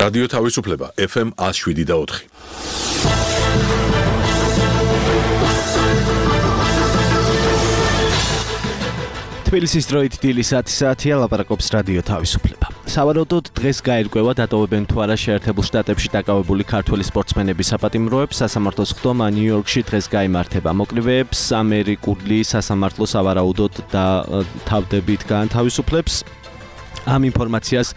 რადიო თავისუფლება FM 107.4. თბილისის დროით დილის 10 საათია, ლაპარაკობს რადიო თავისუფლება. სავარაუდოდ დღეს გაირკვევა დატოვებენ თუ არა შეერთებულ შტატებში დაკავებული ქართველი სპორტსმენების საპატიმროებს. სასამართლოს ხდომა ნიუ-იორკში დღეს გაიმართება. მოკლევეებს ამერიკული სასამართლო სავარაუდოდ და თავდებით გაანთავისუფლებს. ამ ინფორმაციას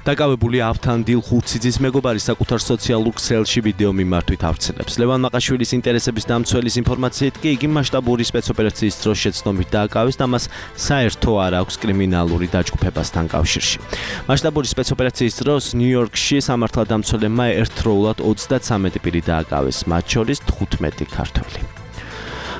დაკავებული ავთანდილ ხურციძის მეგობარი საკუთარ სოციალურ ქსელში ვიდეო მიმართვით ავრცელებს. ლევან მაყაშვილის ინტერესების დამცველის ინფორმაციით კი იგი მასშტაბური სპეცოპერაციის დროს შეცდომით დააკავეს და მას საერთო არ აქვს კრიმინალური დაჯგუფებასთან კავშირში. მასშტაბური სპეცოპერაციის დროს ნიუ-იორკში სამართალდამცველებმა ერთდროულად 33 პირი დააკავეს, მათ შორის 15 ქართველი.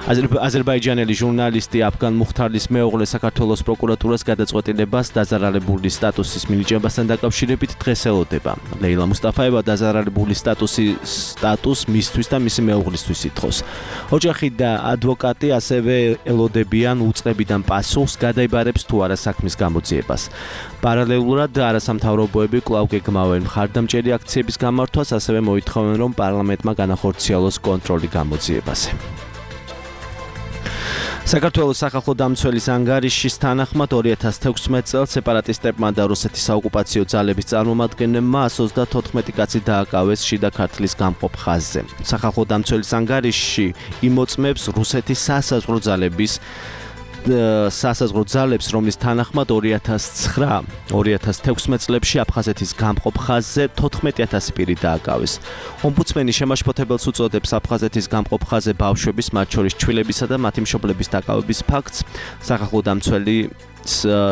აზერბაიჯანელი ჟურნალისტი აფგან მუხთარლის მეუღლე საქართველოს პროკურატურას გადაწყვეტილებას დაზარალებული სტატუსის მინიჭებასთან დაკავშირებით დღეს ელოდება. ლეილა მუსტაფაევა დაზარალებული სტატუს მისთვის და მისი მეუღლისთვის ითხოვს. ოჯახი და ადვოკატი ასევე ელოდებიან უწყებიდან პასუხს, გადაიბარებს თუ არა საქმის გამოძიებას. პარალელურად არასამთავრობოები კვლავ გეგმავენ მხარდამჭერი აქციების გამართვას, ასევე მოითხოვენ, რომ პარლამენტმა განახორციელოს კონტროლი გამოძიებაზე. საქართველოს სახალხო დამცველის ანგარიშის თანახმად 2016 წელს სეპარატისტებმა და რუსეთის საოკუპაციო ძალების წარმომადგენლებმა 134 კაცი დააკავეს შიდა ქართლის გამყოფ ხაზზე. სახალხო დამცველის ანგარიში იმოწმებს რუსეთის სასაზღვრო ძალებს, რომლის თანახმად 2009-2016 წლებში აფხაზეთის გამყოფ ხაზზე 14000 პირი დააკავეს. ომბუდსმენი შემაშფოთებელს უწოდებს აფხაზეთის გამყოფ ხაზზე ბავშვების, მათ შორის ჩვილებისა და მათი მშობლების დაკავების ფაქტს.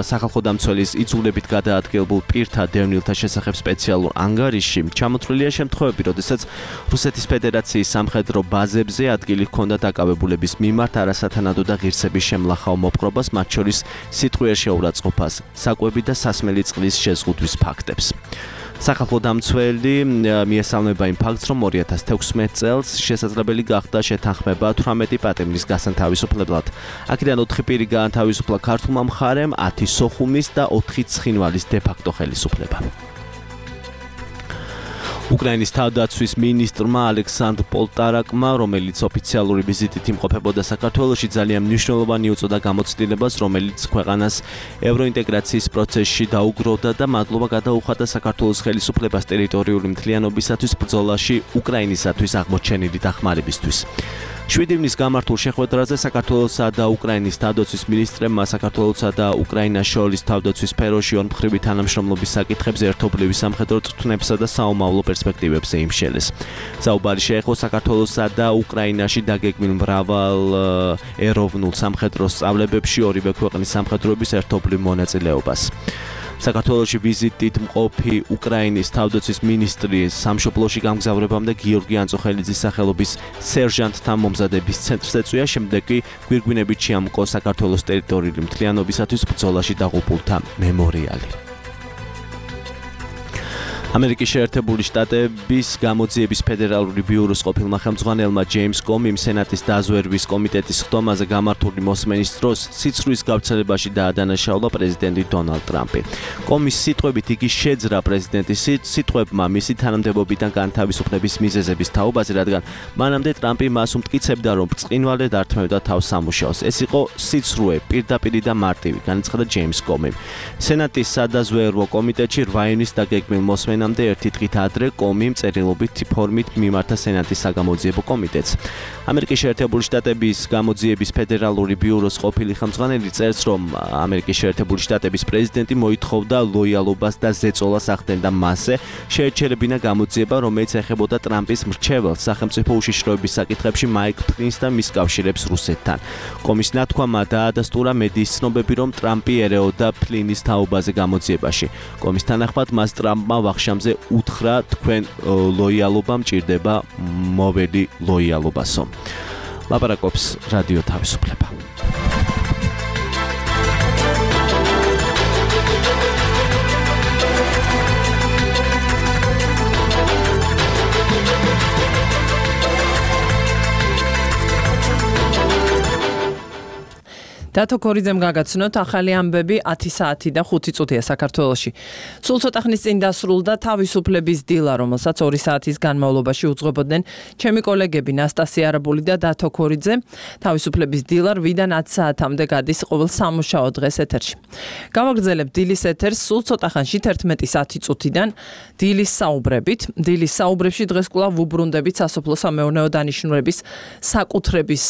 სახალხო დამცველის იძულებით გადაადგილებულ პირთა დევნილთა შესახებ სპეციალურ ანგარიშში ჩამოთვლილია შემთხვევები, როდესაც რუსეთის ფედერაციის სამხედრო ბაზებზე ადგილი ჰქონდა დაკავებულების მიმართ არასათანადო და ღირსების შემლახაო მოპყრობას, მათ შორის სიტყვიერ შეურაცხყოფას, საკვები და სასმელი წყლის შეზღუდვის ფაქტებს. სახალხო დამცველი მიესალმება იმ ფაქტს, რომ 2016 წელს შესაძლებელი გახდა შეთანხმება 18 პატიმრის გასანთავისუფლებლად. აქედან 4 პირი გაანთავისუფლა ქართულმა მხარემ, 10 სოხუმის და 4 ცხინვალის დე-ფაქტო ხელისუფლება. უკრაინის თავდაცვის მინისტრმა ალექსანდრ პოლტარაკმა, რომელიც ოფიციალური ვიზიტით იმყოფებოდა საქართველოში, ძალიან მნიშვნელოვანი უწოდა გამოცდილებას, რომელიც ქვეყანას ევროინტეგრაციის პროცესში დაუგროვდა და მადლობა გადაუხადა საქართველოს ხელისუფლებას ტერიტორიული მთლიანობისათვის ბრძოლაში უკრაინისათვის აღმოჩენილი დახმარებისთვის. 7 ივნის გამართულ შეხვედრაზე საქართველოსა და უკრაინის თავდაცვის მინისტრებმა საქართველოსა და უკრაინას შორის თავდაცვის სფეროში ორმხრივი თანამშრომლობის საკითხებზე ერთობლივი სამხედრო წვრთნებსა და საომავლო პერსპექტივებზე იმშელეს. საუბარი შეეხო საქართველოსა და უკრაინაში დაგეგმილ მრავალ ეროვნულ სამხედრო სწავლებებში ორივე ქვეყნის სამხედროების ერთობლივ მონაწილეობას. საქართველოში ვიზიტით მყოფი უკრაინის თავდაცვის მინისტრი სამშობლოში გამგზავრებამდე გიორგი ანწოხელიძის სახელობის სერჟანტთა მომზადების ცენტრს ეწვია, შემდეგ კი გვირგვინებით შეამკო საქართველოს ტერიტორიული მთლიანობისათვის ბრძოლაში დაღუპულთა მემორიალი. ამერიკის შეერთებული შტატების გამოძიების ფედერალური ბიუროს ყოფილმა ხელმძღვანელმა ჯეიმს კომიმ სენატის დაზვერვის კომიტეტის ხდომაზე გამართული მოსმენის დროს სიცრუის გავრცელებაში დაადანაშაულა პრეზიდენტი დონალდ ტრამპი. კომის სიტყვებით იგი შეძრა პრეზიდენტის სიტყვებმა მისი თანამდებობიდან განთავისუფლების მიზეზების თაობაზე, რადგან მანამდე ტრამპი მას უმტკიცებდა, რომ ბრწყინვალედ ართმევდა თავს სამუშაოს. ეს იყო სიცრუე, პირდაპირი და მარტივი, განაცხადა ჯეიმს კომიმ. სენატის სადაზვერვო კომიტეტში 8 ივნის დაგეგმილ მოსმენამდე ერთი დღით ადრე კომიმ წერილობით ფორმით მიმართა სენატის საგამოძიებო კომიტეტს. ამერიკის შეერთებული შტატების გამოძიების ფედერალური ბიუროს ყოფილი ხელმძღვანელი წერს, რომ ამერიკის შეერთებული შტატების პრეზიდენტი მოითხოვდა ლოიალობას და ზეწოლას ახდენდა მასზე, შეეჩერებინა გამოძიება, რომელიც ეხებოდა ტრამპის მრჩეველს სახელმწიფო უშიშროების საკითხებში მაიკ პენსს და მის კავშირებს რუსეთთან. კომის ნათქვამა დაადასტურა მედიის ცნობები, რომ ტრამპი ერეოდა ფლინის თაობაზე გამოძიებაში. კომის თანახმად მას ტრამპმა ვახშამზე უთხრა, თქვენ ლოიალობა მჭირდება, მოველი ლოიალობასო. ლაპარაკობს რადიო თავისუფლება. დათო ქორიძემ გაგაცნოთ ახალი ამბები 10 საათი და 5 წუთია საქართველოში. სულ ცოტა ხნის წინ დასრულდა თავისუფლების დილა, რომელსაც 2 საათის განმავლობაში უძღვებოდნენ ჩემი კოლეგები ნასტასია არაბული და დათო ქორიძე. თავისუფლების დილა 8-დან 10 საათამდე გადის ყოველ სამუშაო დღეს ეთერში. გავაგრძელებთ დილის ეთერს სულ ცოტა ხანში 11:10 წუთიდან დილის საუბრებით. დილის საუბრებში დღეს კვლავ ვუბრუნდებით სასოფლო-სამეურნეო დანიშნულების საკუთრების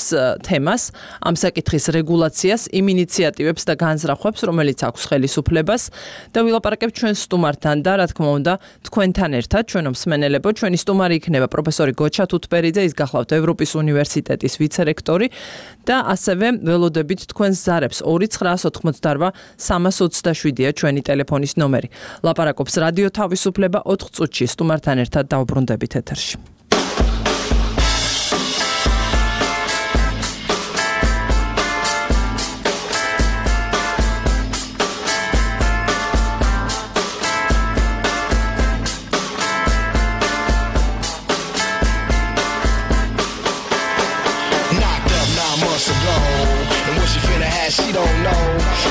თემას, ამ საკითხის რეგულაციას, იმ ინიციატივებს და განზრახვებს, რომელიც აქვს ხელისუფლებას და ვილაპარაკებთ ჩვენ სტუმართან და რა თქმა უნდა თქვენთან ერთად, ჩვენო მსმენელებო, ჩვენი სტუმარი იქნება პროფესორი გოჩა თუთბერიძე, ის გახლავთ ევროპის უნივერსიტეტის ვიცე-რექტორი და ასევე ველოდებით თქვენს ზარებს 2988 327-ია ჩვენი ტელეფონის ნომერი. ლაპარაკობს რადიო თავისუფლება 4 წუთში სტუმართან ერთად დავბრუნდებით ეთერში. She don't know.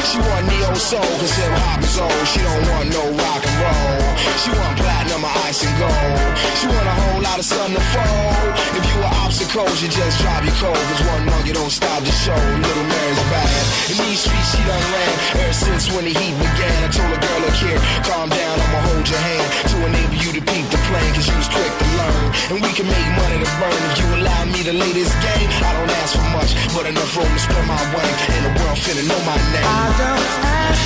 She want neo soul, cause hip hop is old. She don't want no rock and roll. She want platinum or ice and gold. She want a whole lot of sun to fold. If you were obstacles, you just drop your cold. Cause one monkey don't stop the show. Little Mary's bad. In these streets she done ran ever since when the heat began. I told a girl, look here, calm down, I'ma hold your hand to enable you to peep the plan, cause you was quick to learn. And we can make money to burn if you allow me to lay this game. I don't ask for much, but enough room to spread my wing. And the world finna know my name. I don't ask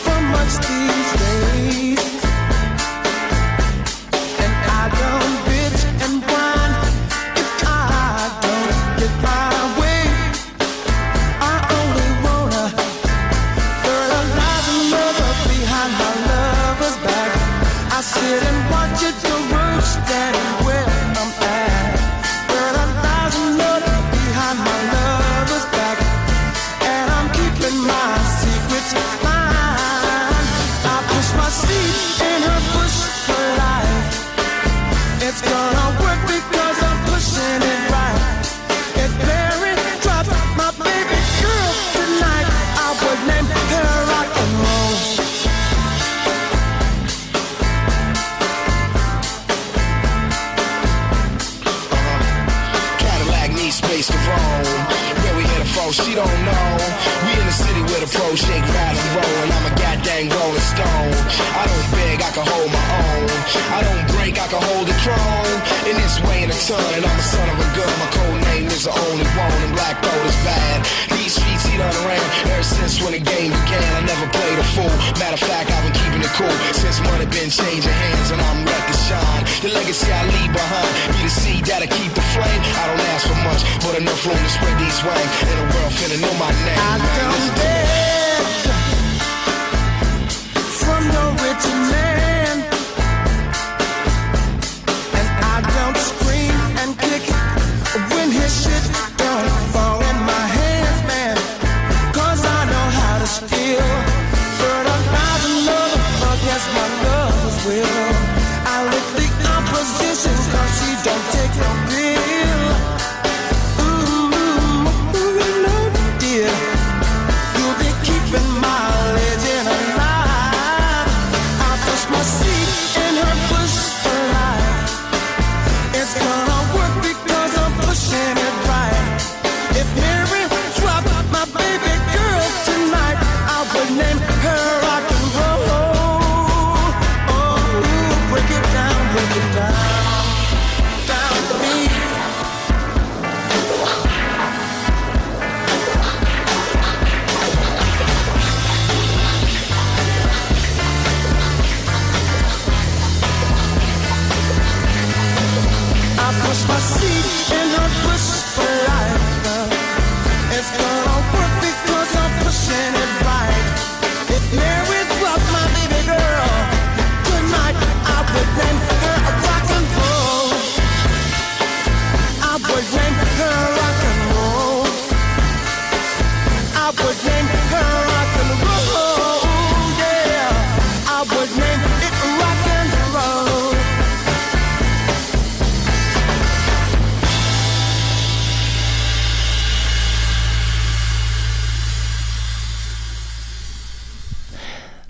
for much these days, and I don't bitch and whine if I don't get my way. I only wanna fertilize another behind my lover's back. I sit and watch it go roast standing where I'm at. Fertilize another behind my lover's back. My secrets mine. I push my seed in her bush for life. It's gonna work because I'm pushing it right. If Mary dropped my baby girl tonight, I would name her rock and roll. Cadillac needs space to roam. Where we headed for, she don't know. We in the city where the pros shake, rattle, and roll, and I'm a goddamn rolling stone. I don't beg, I can hold my own. I don't break, I can hold the throne. In this way in a ton, and I'm a son of a gun. My code name is the only one, and black gold is bad. These streets he done around ever since when the game began. I never played a fool. Matter of fact, I've been keeping it cool since money been changing hands, and I'm ready to shine. The legacy I leave behind be the seed that'll keep the flame. I don't ask for much, but enough room to spread these wings. And the world finna know my name. I don't beg from no rich man, and I don't scream and kick when his shit don't fall in my hands, man. Cause I know how to steal fertilize another against my lover's will. I lick the opposition cause she don't take no pill. You'll be keeping my legend alive. I push my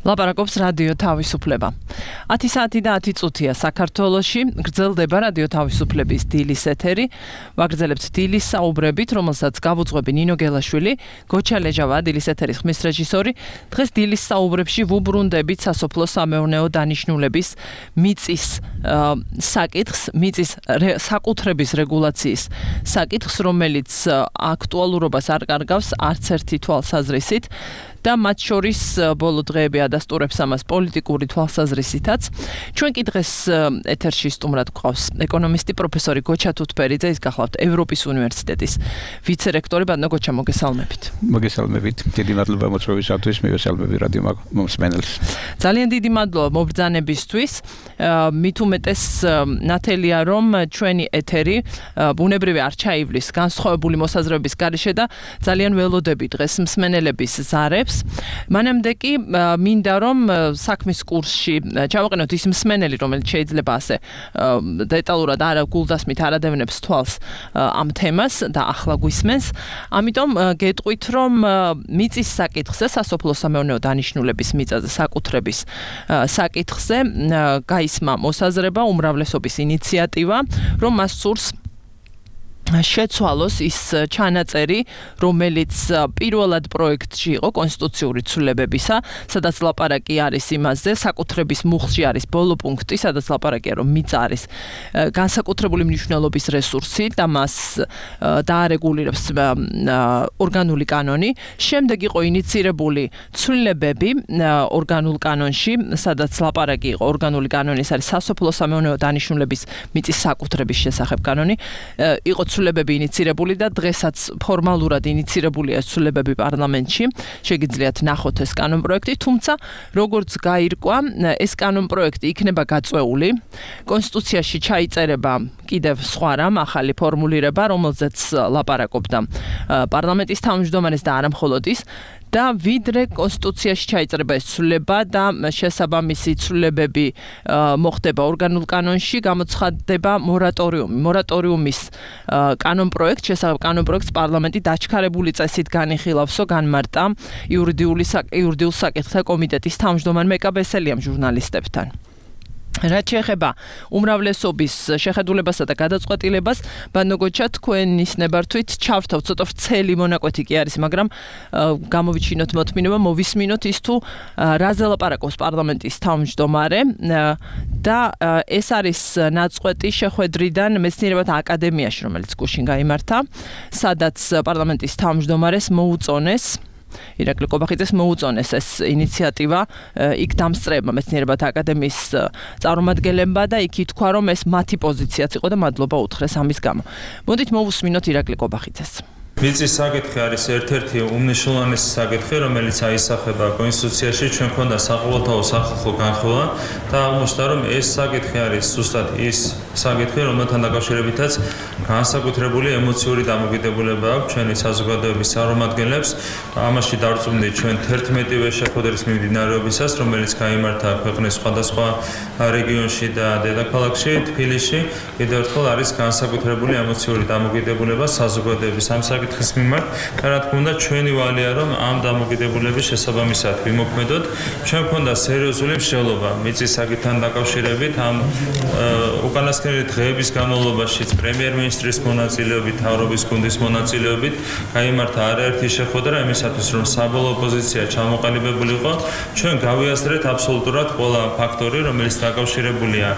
ლაპარაკობს რადიო თავისუფლება. 10 საათი და 10 წუთია საქართველოში გრძელდება რადიო თავისუფლების დილის ეთერი. ვაგრძელებთ დილის საუბრებით, რომელსაც გავუძღვები ნინო გელაშვილი, გოჩა ლეჟავა, დილის ეთერის ხმის რეჟისორი. დღეს დილის საუბრებში ვუბრუნდებით სასოფლო-სამეურნეო დანიშნულების მიწის საკითხს, მიწის საკუთრების რეგულაციის საკითხს, რომელიც აქტუალურობას არ კარგავს არც ერთი თვალსაზრისით. და მათ შორის ბოლო დღეები ადასტურებს ამას პოლიტიკური თვალსაზრისითაც. ჩვენ კი დღეს ეთერში სტუმრად გვყავს ეკონომისტი პროფესორი გოჩა თუთბერიძე, ის გახლავთ ევროპის უნივერსიტეტის ვიცე-რექტორი. ბატონო გოჩა, მოგესალმებით. მოგესალმებით. დიდი მადლობა მოწვევისათვის, მივესალმები რადიო მომსმენელს. ძალიან დიდი მადლობა მობრძანებისთვის. მით უმეტეს ნათელია, რომ ჩვენი ეთერი ბუნებრივი არ ჩაივლის განსხვავებული მოსაზრებების გარეშე და ძალიან ველოდები დღეს მსმენელების ზარებს. მანამდე კი მინდა რომ საქმის კურსში ჩავაყენოთ ის მსმენელი, რომელიც შეიძლება ასე დეტალურად არ გულდასმით არ ადევნებს თვალს ამ თემას და ახლა გვისმენს. ამიტომ გეტყვით, რომ მიწის საკითხზე, სასოფლო-სამეურნეო დანიშნულების მიწაზე საკუთრების საკითხზე გაისმა მოსაზრება, უმრავლესობის ინიციატივა, რომ მას სურს შეცვალოს ის ჩანაწერი, რომელიც პირველად პროექტში იყო კონსტიტუციური ცვლილებებისა, სადაც ლაპარაკი არის იმაზე, საკუთრების მუხლში არის ბოლო პუნქტი, სადაც ლაპარაკია, რომ მიწა არის განსაკუთრებული მნიშვნელობის რესურსი და მას დაარეგულირებს ორგანული კანონი. შემდეგ იყო ინიცირებული ცვლილებები ორგანულ კანონში, სადაც ლაპარაკი იყო ორგანული კანონი, ეს არის სასოფლო-სამეურნეო დანიშნულების მიწის საკუთრების შესახებ კანონი. იყო ცვლილებები ინიცირებული და დღესაც ფორმალურად ინიცირებულია ცვლილებები პარლამენტში. შეგიძლიათ ნახოთ ეს კანონპროექტი, თუმცა როგორც გაირკვა, ეს კანონპროექტი იქნება გაწეული. კონსტიტუციაში ჩაიწერება კიდევ სხვა რამ, ახალი ფორმულირება, რომელზეც ლაპარაკობდა პარლამენტის თავმჯდომარეს და არა მხოლოდ ის. და ვიდრე კონსტიტუციაში ჩაიწერება ეს ცვლილება და შესაბამისი ცვლილებები მოხდება ორგანულ კანონში, გამოცხადდება მორატორიუმი. მორატორიუმის კანონპროექტ, შესაბამის კანონპროექტს პარლამენტი დაჩქარებული წესით განიხილავსო, განმარტა იურიდიულ საკითხთა კომიტეტის თავმჯდომარე მეკაბესელიამ ჟურნალისტებთან. რაც შეეხება უმრავლესობის შეხედულებასა და გადაწყვეტილებას, ბატონო გოჩა, თქვენის ნებართვით ჩავრთავ, ცოტა ვრცელი მონაკვეთი კი არის, მაგრამ გამოვიჩინოთ მოთმინება, მოვისმინოთ ის თუ რაზე ლაპარაკობს პარლამენტის თავმჯდომარე და ეს არის ნაწყვეტი შეხვედრიდან მეცნიერებათა აკადემიაში, რომელიც გუშინ გაიმართა, სადაც პარლამენტის თავმჯდომარეს მოუწონეს ირაკლი კობახიძეს მოუწონეს ეს ინიციატივა იქ დამსწრეებმა მეცნიერებათა აკადემიის წარმომადგენლებმა და იქ ითქვა, რომ ეს მათი პოზიციაც იყო და მადლობა უთხრეს ამის გამო. მოდით მოვუსმინოთ ირაკლი კობახიძეს. მიწის საკითხი არის ერთ-ერთი უმნიშვნელოვანესი საკითხი, რომელიც აისახება კონსტიტუციაში. ჩვენ ქონდა საყოველთაო სახალხო განხილვა და აღმოჩნდა, რომ ეს საკითხი არის ზუსტად ის საკითხი, რომელთან დაკავშირებითაც განსაკუთრებული ემოციური დამოკიდებულება აქვს ჩვენი საზოგადოების წარმომადგენლებს. ამაში დარწმუნდით ჩვენ 11-ვე შეხვედრის მიმდინარეობისას, რომელიც გაიმართა ქვეყნის სხვადასხვა რეგიონში და დედაქალაქში, თბილისში. კიდევ ერთხელ არის განსაკუთრებული ემოციური დამოკიდებულება საზოგადოების ამ საკითხის მიმართ და რა თქმა უნდა ჩვენი ვალია, რომ ამ დამოკიდებულების შესაბამისად ვიმოქმედოთ. ჩვენ ქონდა სერიოზული მსჯელობა მიწის საკითხთან დაკავშირებით. ამ უკანასკნელი დღეების განმავლობაშიც პრემიერ-მინისტრის მონაწილეობით, მთავრობის გუნდის მონაწილეობით გაიმართა არაერთი შეხვედრა იმისათვის, რომ საბოლოო პოზიცია ჩამოყალიბებულიყო. ჩვენ გავიაზრეთ აბსოლუტურად ყველა ფაქტორი, რომელიც დაკავშირებულია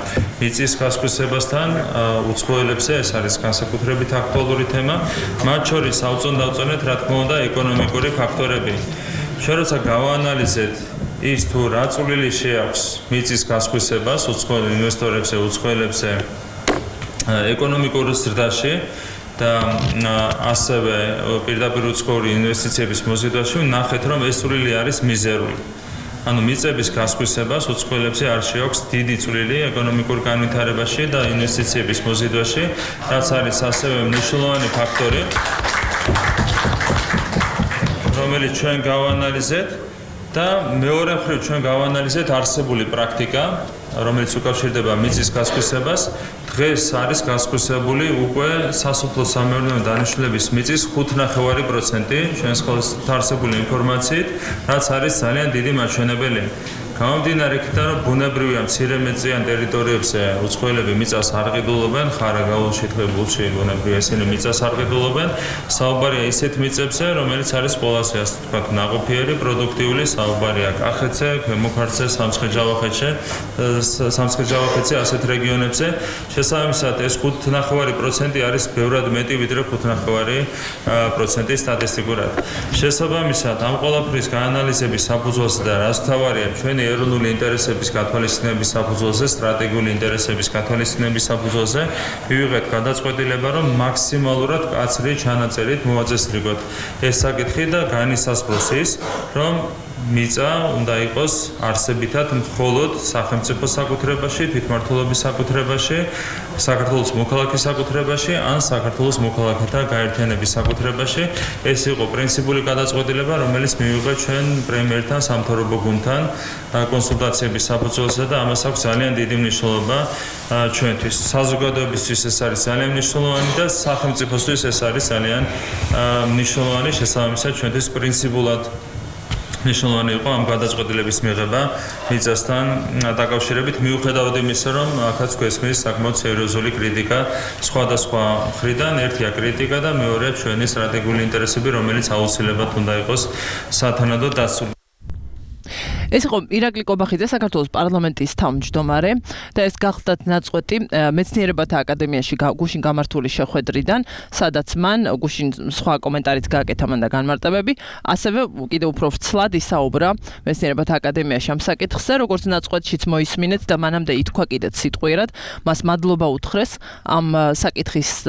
მიწის გასხვისებასთან, უცხოელებზე, ეს არის განსაკუთრებით აქტუალური თემა. მათ შორის ავწონ-დავწონეთ, რა თქმა უნდა, ეკონომიკური ფაქტორები. ჩვენ როცა გავაანალიზეთ ის თუ რა წვლილი შეაქვს მიწის გასხვისებას უცხოელ ინვესტორებზე, უცხოელებზე ეკონომიკურ ზრდაში და ასევე პირდაპირ უცხოური ინვესტიციების მოზიდვაში, ნახეთ, რომ ეს წვლილი არის მიზერული. ანუ მიწების გასხვისებას უცხოელებზე არ შეაქვს დიდი წვლილი ეკონომიკურ განვითარებაში და ინვესტიციების მოზიდვაში, რაც არის ასევე მნიშვნელოვანი ფაქტორი, რომელიც ჩვენ გავაანალიზეთ და მეორე მხრივ ჩვენ გავაანალიზეთ არსებული პრაქტიკა, რომელიც უკავშირდება მიწის გასხვისებას. დღეს არის გასხვისებული უკვე სასოფლო-სამეურნეო დანიშნულების მიწის 5.9% ჩვენს ხელთ არსებული ინფორმაციით, რაც არის ძალიან დიდი მაჩვენებელი. გამომდინარე იქიდან, რომ ბუნებრივია მცირე მეტწიან ტერიტორიებზე უცხოელები მიწას არ ყიდულობენ, ხარაგაულ შეთქმულებულში ბუნებრივია ისინი მიწას არ ყიდულობენ, საუბარია ისეთ მიწებზე, რომელიც არის ყველაზე ასე ვთქვათ, ნაყოფიერი, პროდუქტიული, საუბარია კახეთზე, ქვემო ქართლზე, სამცხე-ჯავახეთზე, ასეთ რეგიონებზე. შესაბამისად, ეს 5.9% არის ბევრად მეტი, ვიდრე 5.9% სტატისტიკურად. შესაბამისად, ამ ყველაფრის გაანალიზების საფუძველზე და რაც თავარია, ჩვენი ეროვნული ინტერესების გათვალისწინების საფუძველზე, სტრატეგიული ინტერესების გათვალისწინების საფუძველზე მივიღეთ გადაწყვეტილება, რომ მაქსიმალურად კაცრი ჩანაწერით მოვაწესრიგოთ ეს საკითხი და განისაზღვროს ის, რომ მიწა უნდა იყოს არსებითად მხოლოდ სახელმწიფო საკუთრებაში, თვითმმართველობის საკუთრებაში, საქართველოს მოქალაქის საკუთრებაში, ან საქართველოს მოქალაქეთა გაერთიანების საკუთრებაში. ეს იყო პრინციპული გადაწყვეტილება, რომელიც მივიღეთ ჩვენ პრემიერთან, სამთავრობო გუნდთან კონსულტაციების საფუძველზე და ამას აქვს ძალიან დიდი მნიშვნელობა ჩვენთვის. საზოგადოებისთვის ეს არის ძალიან მნიშვნელოვანი და სახელმწიფოსთვის ეს არის ძალიან მნიშვნელოვანი, შესაბამისად ჩვენთვის პრინციპულად მნიშვნელოვანი იყო ამ გადაწყვეტილების მიღება მიწასთან დაკავშირებით, მიუხედავად იმისა, რომ აქაც გვესმის საკმაოდ სერიოზული კრიტიკა სხვადასხვა მხრიდან, ერთია კრიტიკა და მეორეა ჩვენი სტრატეგიული ინტერესები, რომელიც აუცილებლად უნდა იყოს სათანადო დაცული. ეს იყო ირაკლი კობახიძე, საქართველოს პარლამენტის თავმჯდომარე და ეს გახლდათ ნაწყვეტი მეცნიერებათა აკადემიაში გუშინ გამართული შეხვედრიდან, სადაც მან გუშინ სხვა კომენტარიც გააკეთა მან და განმარტებები, ასევე კიდევ უფრო ვრცლად ისაუბრა მეცნიერებათა აკადემიაში ამ საკითხზე, როგორც ნაწყვეტშიც მოისმინეთ და მანამდე ითქვა კიდეც სიტყვიერად, მას მადლობა უთხრეს ამ საკითხის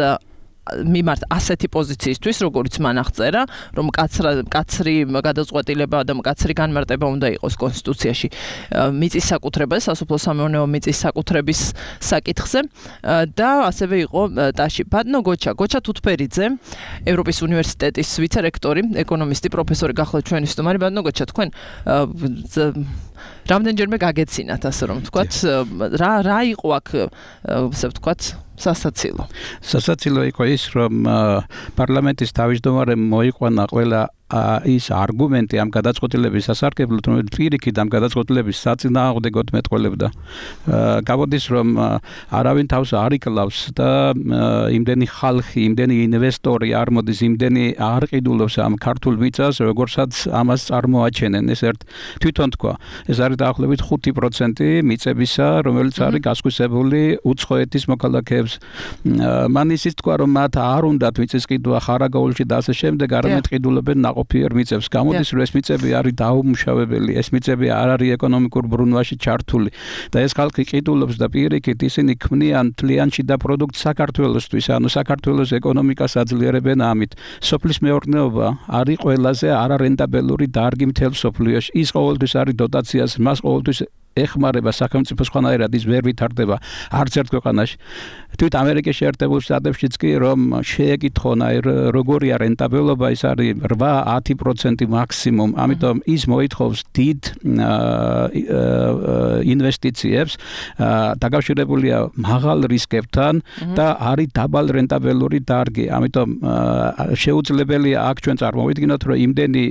მიმართ ასეთი პოზიციისთვის, როგორც მან აღწერა, რომ კაცრი გადაწყვეტილება და კაცრი განმარტება უნდა იყოს კონსტიტუციაში მიწის საკუთრებას, სასოფლო-სამეურნეო მიწის საკუთრების საკითხზე და ასევე იყო ტაში ბატონო გოჩა თუთფერიძე, ევროპის უნივერსიტეტის ვიცე-რექტორი, ეკონომისტი, პროფესორი გახლავთ ჩვენი სტუმარი. ბატონო გოჩა, თქვენ რამდენჯერმე გაგეცინათ, ასე რომ ვთქვათ, რა იყო აქ, ასე ვთქვათ, სასაცილო იყო ის, რომ პარლამენტის თავმჯდომარემ მოიყვანა ყველა ის არგუმენტი ამ გადაწყვეტილების სასარგებლოდ, რომ პირიქით ამ გადაწყვეტილების საწინააღმდეგოდ მეტყველებდა. გამოდის, რომ არავინ თავს არ იკლავს და იმდენი ხალხი, იმდენი ინვესტორი არ მოდის, იმდენი არ ყიდულობს ამ ქართულ მიწას, როგორცაც ამას წარმოაჩენენ. ეს თვითონ თქვა, ეს არის დაახლოებით 5% მიწებისა, რომელიც არის გასხვისებული უცხოეთის მოქალაქეებს. მან ისიც თქვა, რომ მათ არ უნდათ მიწის ყიდვა ხარაგაულში და ასე შემდეგ, არამედ ყიდულობენ ნაყოფიერ მიწებს. გამოდის, რომ ეს მიწები არის დაუმუშავებელი, ეს მიწები არ არის ეკონომიკურ ბრუნვაში ჩართული და ეს ხალხი ყიდულობს და პირიქით ისინი ქმნიან თლიანში და პროდუქტ საქართველოსთვის, ანუ საქართველოს ეკონომიკას აძლიერებენ ამით. სოფლის მეურნეობა არის ყველაზე არარენტაბელური დარგი მთელ სოფლიოში. ის ყოველთვის არის დოტაციას, მას ყოველთვის ეხმარება სახელმწიფო სხვანაირად ის ვერ ვითარდება არც ერთ ქვეყანაში. თვით ამერიკის შეერთებულ შტატებშიც კი რომ შეეკითხონ როგორია რენტაბელობა, ის არის 8-10% მაქსიმუმ. ამიტომ ის მოითხოვს დიდ ინვესტიციებს, დაკავშირებულია მაღალ რისკებთან და არის დაბალ რენტაბელური დარგი. ამიტომ შეუძლებელია აქ ჩვენ წარმოვიდგინოთ, რომ იმდენი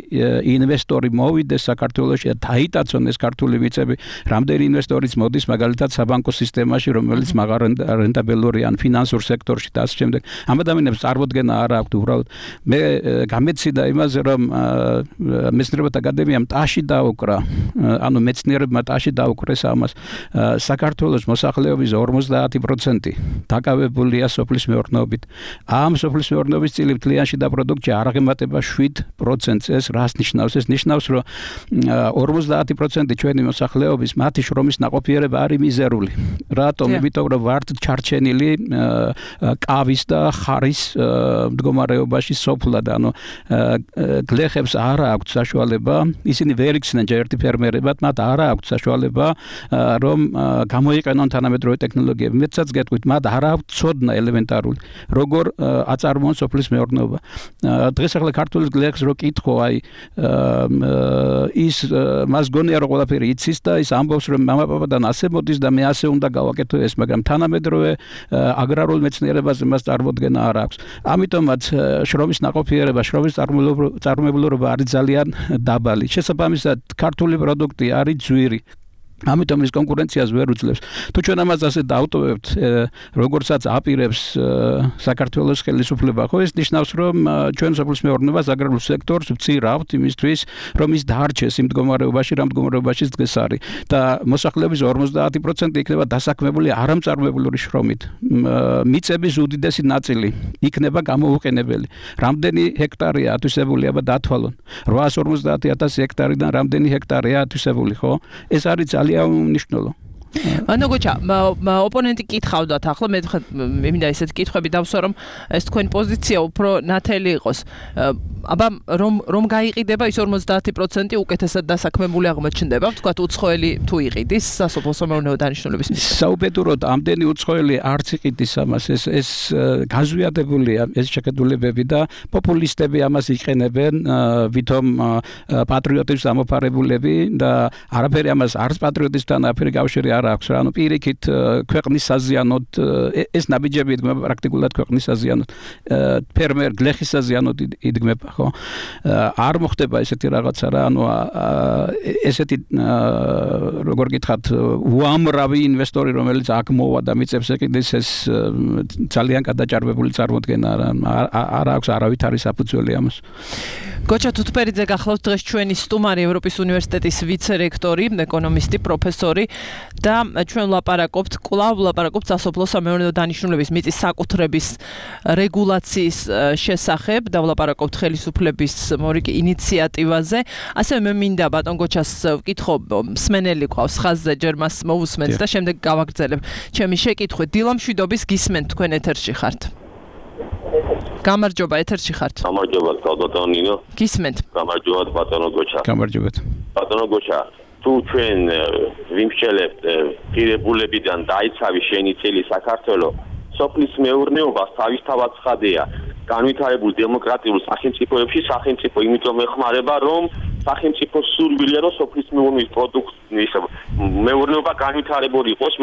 ინვესტორი მოვიდეს საქართველოში და დაიტაცონ ეს ქართული მიწები. რამდენი ინვესტორიც მოდის მაგალითად საბანკო სისტემაში, რომელიც მაღალ რენტაბელური ან ფინანსურ სექტორში და ასე შემდეგ. ამ ადამიანებს წარმოდგენა არ აქვთ უბრალოდ. მე გამეციდა იმაზე, რომ მეცნიერებათა აკადემიამ ტაში დაუკრა, ანუ მეცნიერებმა ტაში დაუკრეს ამას. საქართველოს მოსახლეობის 50% დაკავებულია სოფლის მეურნეობით. ამ სოფლის მეურნეობის წილი მთლიანში და პროდუქტში არ აღემატება 7%. ეს რას ნიშნავს? ეს ნიშნავს, რომ 50% ჩვენი მოსახლეობის მათი შრომის ნაყოფიერება არის მიზერული. რატომ? იმიტომ რომ ვართ ჩარჩენილი კავის და ხარის მდგომარეობაში სოფლად, ანუ გლეხებს არ აქვთ საშუალება, ისინი ვერ იქცნენ ჯერ ერთი ფერმერებად, მათ არ აქვთ საშუალება რომ გამოიყენონ თანამედროვე ტექნოლოგიები. მეცაც გეტყვით, მათ არ აქვთ ცოდნა ელემენტარული, როგორ აწარმოონ სოფლის მეურნეობა. დღეს ახლა ქართული გლეხს რო კითხო, აი ის მას გონია რომ ყველაფერი იცის და ის ამბობს რომ მამაპაპადან ასე მოდის და მე ასე უნდა გავაკეთო ეს, მაგრამ თანამედროვე აგრარულ მეცნიერებაზე მას წარმოდგენა არ აქვს. ამიტომაც შრომის ნაყოფიერება, შრომის წარმომავლობა არის ძალიან დაბალი. შესაბამისად, ქართული პროდუქტი არის ძვირი. ამიტომ ის კონკურენციას ვერ უძლებს. თუ ჩვენ ამას ასე დავტოვებთ, როგორცაც აპირებს საქართველოს ხელისუფლება, ხო ეს ნიშნავს, რომ ჩვენ სოფლის მეურნეობას აგრარულ სექტორს ვწირავთ იმისთვის, რომ ის დაარჩეს იმ მდგომარეობაში, რა მდგომარეობაშიც დღეს არის და მოსახლეობის 50% იქნება დასაქმებული არამწარმოებელური შრომით. მიწების უდიდესი ნაწილი იქნება გამოუყენებელი. რამდენი ჰექტარია ათვისებული, აბა დათვალონ. 850,000 ჰექტარიდან რამდენი ჰექტარია ათვისებული, ხო? ეს არის ძალიან უნიშნელო. ანუ გოჩა, ოპონენტი კითხავდათ ახლა მე მინდა ესეთ კითხვები დავსვა რომ ეს თქვენი პოზიცია უფრო ნათელი იყოს. აბა რომ გაიყიდება ის 50% უკეთესად დასაქმებული აღმოჩნდება, ვთქვათ უცხოელი თუ იყიდის სასოფლო მეურნეო დანიშნულების მისგან. საუბედუროდ ამდენი უცხოელი არც იყიდის ამას, ეს გაზვიადებულია ეს შეხედულებები და პოპულისტები ამას იყენებენ, ვითომ პატრიოტების ამოფარებულები და არაფერი ამას არც პატრიოტისთან არაფერი კავშირი არ აქვს, ანუ პირიქით ქვეყნის საზიანოდ ეს ნაბიჯები იდგმება პრაქტიკულად ქვეყნის საზიანოდ, ფერმერ გლეხის საზიანოდ იდგმება, ხო? არ მოხდება ესეთი რაღაცა რა, ანუ ესეთი როგორ გითხრათ, უამრავი ინვესტორი, რომელიც აქ მოვა და მიწებს ეკიდეს, ეს ძალიან გადაჭარბებული წარმოდგენა არ აქვს არავითარი საფუძველი ამას. გოჩა თუთფერიძე გახლავთ დღეს ჩვენი სტუმარი, ევროპის უნივერსიტეტის ვიცე-რექტორი, ეკონომისტი, პროფესორი და ჩვენ ვლაპარაკობთ სასოფლო სამეურნეო დანიშნულების მიწის საკუთრების რეგულაციის შესახებ და ვლაპარაკობთ ხელისუფლების მორიგი ინიციატივაზე. ასევე მე მინდა ბატონ გოჩას ვკითხო, მსმენელი ყავს ხაზზე, ჯერ მას მოვუსმენთ და შემდეგ გავაგრძელებ ჩემი შეკითხვით. დილამშვიდობის გისმენთ, თქვენ ეთერში ხართ. გამარჯობა, ეთერში ხართ. გამარჯობა, ბატონო ნინო. გისმენთ. გამარჯობა, ბატონო გოჩა. გამარჯობა. ბატონო გოჩა, თუ ჩვენ ვიმსჯელებთ ღირებულებიდან დაიცავი შენი წელი საქართველოს სოფლის მეურნეობას თავისთავად ცხადია. განვითარებულ დემოკრატიულ სახელმწიფოებში სახელმწიფო იმიტომ ეხმარება, რომ სახელმწიფო სურვილია, რომ სოფლის მეურნეობის პროდუქტის მეურნეობა განვითარებული იყოს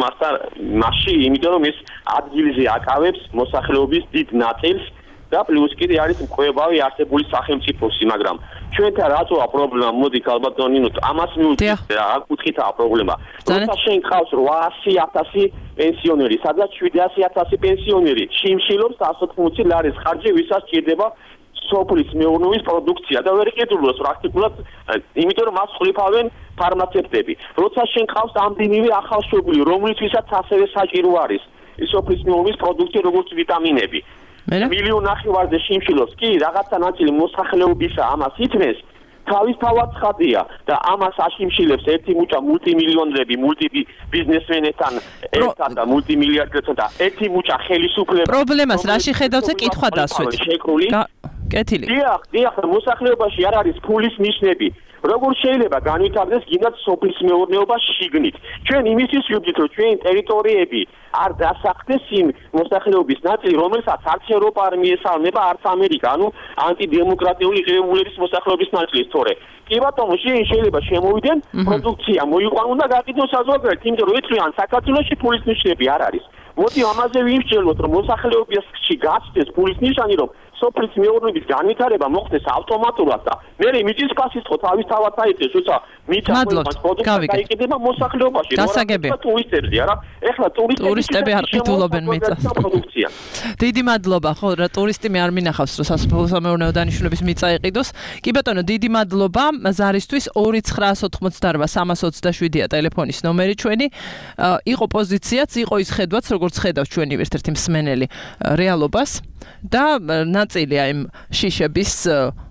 მასში, იმიტომ რომ ეს ადგილზე აკავებს მოსახლეობის დიდ ნაწილს და პლუს კიდე არის მკვლევარი არსებული სახელმწიფოსი, მაგრამ ჩვენთან რატოა პრობლემა? მოდი ალბათ ნინო, ამას მივუძღვით რა კუთხითაა პრობლემა. როცა შენ ყავს 800,000 პენსიონერი, სადაც 700,000 პენსიონერი შიმშილობს 180 ლარის ხარჯი, ვისაც ჭირდება სოფლის მეურნეობის პროდუქცია და ვერ იყიდულოს პრაქტიკულად, იმიტომ რომ მას ხლიფავენ ფარმაცევტები. როცა შენ ყავს ამდენივე ახალშობილი, რომლისთვისაც ასევე საჭირო არის სოფლის მეურნეობის პროდუქცია, როგორც ვიტამინები. 1,5 მილიონი შიმშილობს, კი, რაღაცა ნაწილი მოსახლეობისა ამას ითმეს, თავისთავად ცხადია და ამას აშიმშილებს ერთი მუჭა მულტიმილიონრები, მულტიბიზნესმენებთან ერთად და მულტიმილიარდერთან და ერთი მუჭა ხელისუფლება. პრობლემას რაში ხედავთ კითხვა დასვით? კეთილი. დიახ, მოსახლეობაში არ არის ფულის ნიშნები. როგორ შეიძლება განვითარდეს გინდათ სოფლის მეურნეობა შიგნით? ჩვენ იმისთვის ვიბრძვით, რომ ჩვენი ტერიტორიები არ დასახდეს იმ მოსახლეობის ნაწილი, რომელსაც არც ევროპა არ მიესალმება, არც ამერიკა, ანუ ანტიდემოკრატიული ღირებულების მოსახლეობის ნაწილი, თორე კი ბატონო, შეიძლება შემოვიდნენ პროდუქცია მოიყვანონ და გაყიდონ საზოგადოებრივ, იმიტომ რომ ეთქვიან საქართველოში ფულის ნიშნები არ არის. მოდი ამაზე ვიმსჯელოთ, რომ მოსახლეობაში გაცდეს ფულის ნიშანი, რომ სოფლის მეურნეობის განვითარება მოხდეს ავტომატურად და მე მიწის ფასისწყო თავისთავად აიწეს, თუმცა მიწის პროდუქტი გაიყიდება მოსახლეობაში, ტურისტებზე, არა? ეხლა ტურისტები არ ყიდულობენ მიწას. დიდი მადლობა, ხო, რა ტურისტი მე არ მინახავს, რომ სასოფლო სამეურნეო დანიშნულების მიწა იყიდოს. კი ბატონო, დიდი მადლობა ზარისთვის 2988327-ია ტელეფონის ნომერი ჩვენი. იყო პოზიციაც, იყო ის ხედვაც, როგორც ხედავს ჩვენი ერთ-ერთი მსმენელი რეალობას და ნაწილია იმ შიშების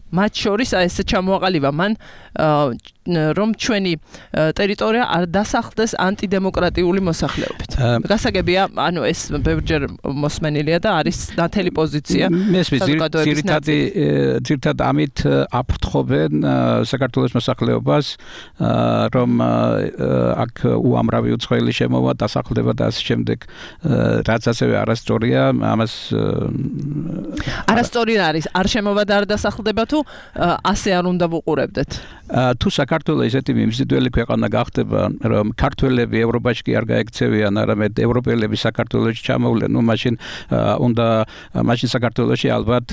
მათ შორის ესე ჩამოაყალიბა მან რომ ჩვენი ტერიტორია არ დასახლდეს ანტიდემოკრატიული მოსახლეობით. გასაგებია, ანუ ეს ბევრჯერ მოსმენილია და არის ნათელი პოზიცია. ძირითადად ამით აფრთხობენ საქართველოს მოსახლეობას, რომ აქ უამრავი უცხოელი შემოვა, დასახლდება და ასე შემდეგ, რაც ასევე არასწორია, ამას არასწორი არის, არ შემოვა და არ დასახლდება თუ თუ ასე არ უნდა ვუყურებდეთ? თუ საქართველოს ესეთი მიმზიდველი ქვეყანა გახდება, რომ ქართველები ევროპაში კი არ გაექცევიან, არამედ ევროპელები საქართველოში ჩამოვლენ, მაშინ მაშინ საქართველოში ალბათ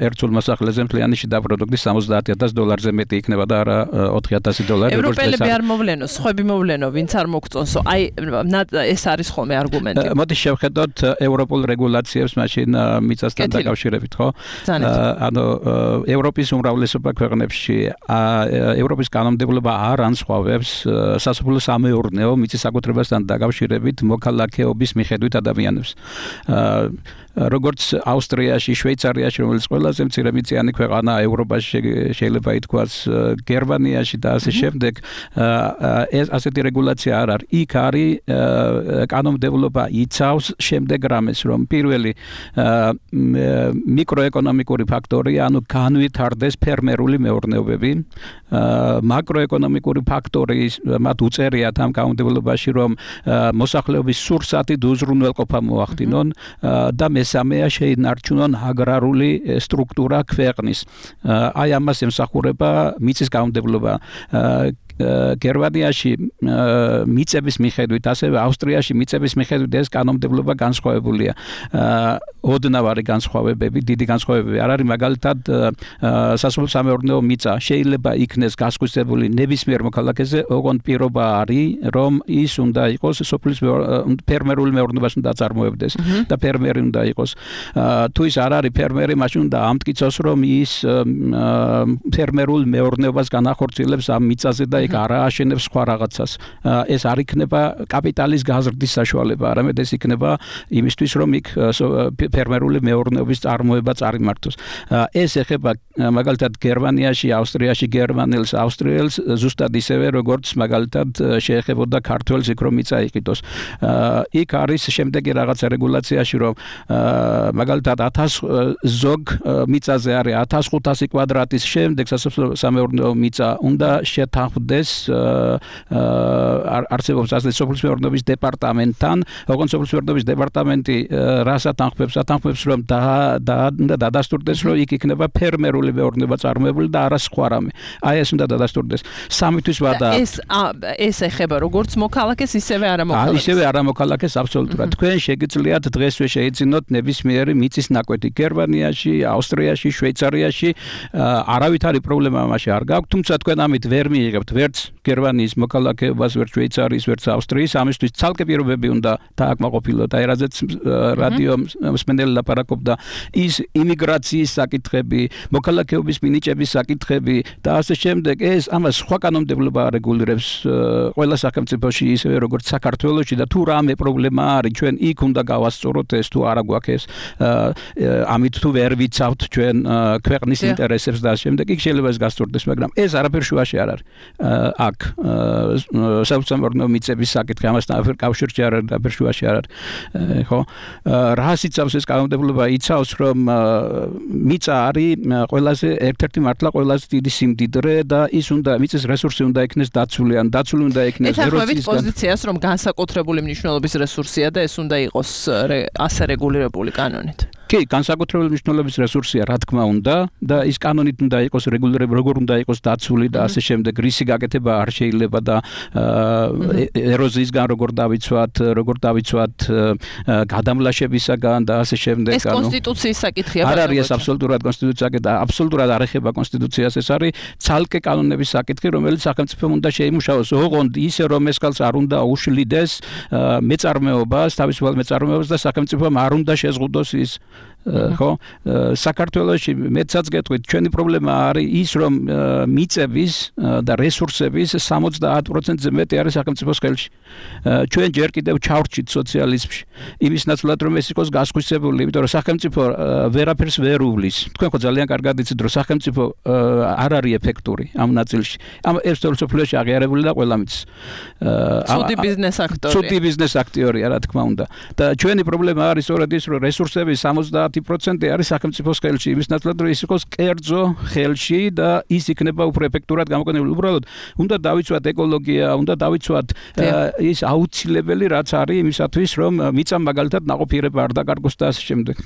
ერთულ მოსახლეზე მთლიანი შიდა პროდუქტი $70,000 მეტი იქნება და არა $4,000. ევროპელები არ მოვლენო, სხვები მოვლენო, ვინც არ მოგწონსო. აი ეს არის ხოლმე არგუმენტი. მოდი შევხედოთ ევროპულ რეგულაციებს მაშინ მიწასთან დაკავშირებით, ხო? ანუ ევროპის უმრავლესობა ქვეყნებში ევროპის კანონმდებლობა არ ანსხვავებს სასოფლო სამეურნეო მიწის საკუთრებასთან დაკავშირებით მოქალაქეობის მიხედვით ადამიანებს. როგორც ავსტრიაში, შვეიცარიაში, რომელიც ყველაზე მცირემიწიანი ქვეყანაა ევროპაში, შეიძლება ითქვას გერმანიაში და ასე შემდეგ, ეს ასეთი რეგულაცია არ არის. იქ არის კანონმდებლობა იცავს შემდეგ რამეს, რომ პირველი მიკროეკონომიკური ფაქტორია, ანუ განვითარდეს ფერმერული მეურნეობები, მაკროეკონომიკური ფაქტორი მათ უწერიათ ამ კანონმდებლობაში, რომ მოსახლეობის სურსათი უზრუნველყოფა მოახდინონ და მესამეა შეინარჩუნონ აგრარული სტრუქტურა ქვეყნის. აი ამას ემსახურება მიწის კანონმდებლობა. გერმანიაში მიწების მიხედვით, ასევე ავსტრიაში მიწების მიხედვით ეს კანონმდებლობა განსხვავებულია. ოდნავ არის განსხვავებები, დიდი განსხვავებები არ არის, მაგალითად სასოფლო სამეურნეო მიწა შეიძლება იქნეს გასხვისებული ნებისმიერ მოქალაქეზე, ოღონდ პირობა არის, რომ ის უნდა იყოს სოფლის ფერმერული მეურნეობას უნდა აწარმოებდეს და ფერმერი უნდა იყოს. თუ ის არ არის ფერმერი, მაშინ უნდა ამტკიცოს, რომ ის ფერმერულ მეურნეობას განახორციელებს ამ მიწაზე და არ აშენებს სხვა რაღაცას. ეს არ იქნება კაპიტალის გაზრდის საშუალება, არამედ ეს იქნება იმისთვის, რომ იქ ფერმერული მეურნეობის წარმოება წარიმართოს. ეს ეხება მაგალითად გერმანიაში, ავსტრიაში გერმანელს, ავსტრიელს ზუსტად ისევე, როგორც მაგალითად შეეხებოდა ქართველს იქ რომ მიწა იყიდოს. იქ არის შემდეგი რაღაცა რეგულაციაში, რომ მაგალითად 1000 ზოგ მიწაზე არის 1500 კვადრატის შემდეგ სასოფლო სამეურნეო მიწა უნდა შეთანხმდეს არსებობს ასე სოფლის მეურნეობის დეპარტამენტთან, ოღონდ სოფლის მეურნეობის დეპარტამენტი რას ათანხმებს, რომ დადასტურდეს, რომ იქ იქნება ფერმერული მეურნეობა წარმოებული და არა სხვა რამე. აი ეს უნდა დადასტურდეს. სამი თვის ვადა. ეს ეხება როგორც მოქალაქეს, ისევე არამოქალაქეს. ისევე არამოქალაქეს აბსოლუტურად. თქვენ შეგიძლიათ დღესვე შეიძინოთ ნებისმიერი მიწის ნაკვეთი გერმანიაში, ავსტრიაში, შვეიცარიაში, არავით არის პრობლემა ამაში არ გაქვთ, თუმცა თქვენ ამით ვერ მიიღებთ ვერც გერმანიის მოქალაქეობას, ვერც შვეიცარიის, ვერც ავსტრიის, ამისთვის ცალკე პირობები უნდა დააკმაყოფილოთ. აი რაზეც რადიო მსმენელი ლაპარაკობდა, ის იმიგრაციის საკითხები, მოქალაქეობის მინიჭების საკითხები და ასე შემდეგ, ეს ამას სხვა კანონმდებლობა რეგულირებს ყველა სახელმწიფოში, ისევე როგორც საქართველოში და თუ რამე პრობლემა არის, ჩვენ იქ უნდა გავასწოროთ ეს თუ არა გვაქვს ეს, ამით თუ ვერ ვიცავთ ჩვენ ქვეყნის ინტერესებს და ასე შემდეგ, იქ შეიძლება ეს გასწორდეს, მაგრამ ეს არაფერ შუაში არ არის. აქ სასოფლო მიწების საკითხი ამასთან არაფერ კავშირში არ არის, არაფერ შუაში არ არის. ხო? რას იცავს ეს კანონმდებლობა? იცავს, რომ მიწა არის ყველაზე ერთ-ერთი მართლა ყველაზე დიდი სიმდიდრე და ის უნდა მიწის რესურსი უნდა იქნეს დაცული, ან დაცული უნდა იქნეს ეროვნულ პოზიციას, რომ განსაკუთრებული მნიშვნელობის რესურსია და ეს უნდა იყოს ასე რეგულირებული კანონით. კი, განსაკუთრებული მნიშვნელობის რესურსია, რა თქმა უნდა, და ის კანონით უნდა იყოს რეგულირებული, როგორ უნდა იყოს დაცული და ასე შემდეგ. რისი გაკეთება არ შეიძლება და ეროზიისგან როგორ დავიცვათ, გადამლაშებისაგან და ასე შემდეგ. ეს კონსტიტუციის საკითხია. არ არის ეს აბსოლუტურად კონსტიტუციის საკითხი და აბსოლუტურად არ ეხება კონსტიტუციას, ეს არის ცალკე კანონების საკითხი, რომელიც სახელმწიფომ უნდა შეიმუშაოს. ოღონდ ისე რომ ეს კალს არ უნდა უშლიდეს მეწარმეობას, თავისუფალ მეწარმეობას და სახელმწიფომ არ უნდა შეზღუდოს ის ხო საქართველოში მეცაც გეტყვით ჩვენი პრობლემა არის ის რომ მიწების და რესურსების 70%-ზე მეტი არის სახელმწიფოს ხელში. ჩვენ ჯერ კიდევ ჩავრჩით სოციალიზმში. იმის ნაცვლად რომ ეს იყოს გასხვისებული, იმიტომ რომ სახელმწიფო ვერაფერს ვერ უვლის. თქვენ ხო ძალიან კარგად იცით რომ სახელმწიფო არ არის ეფექტური ამ ნაწილში. ამ ერთსოფლიოში აღიარებული და ყველა მის ცუდი ბიზნეს აქტიორია, რა თქმა უნდა. და ჩვენი პრობლემა არის სწორედ ის რომ რესურსების 70 90% არის სახელმწიფოს ხელში იმის ნაცვლად რომ ის იყოს კერძო ხელში და ის იქნება უფრო ეფექტურად გამოყენებული უბრალოდ უნდა დავიცვათ ეკოლოგია უნდა დავიცვათ ის აუცილებელი რაც არის იმისათვის რომ მიწა მაგალითად ნაყოფიერება არ დაკარგოს და ასე შემდეგ.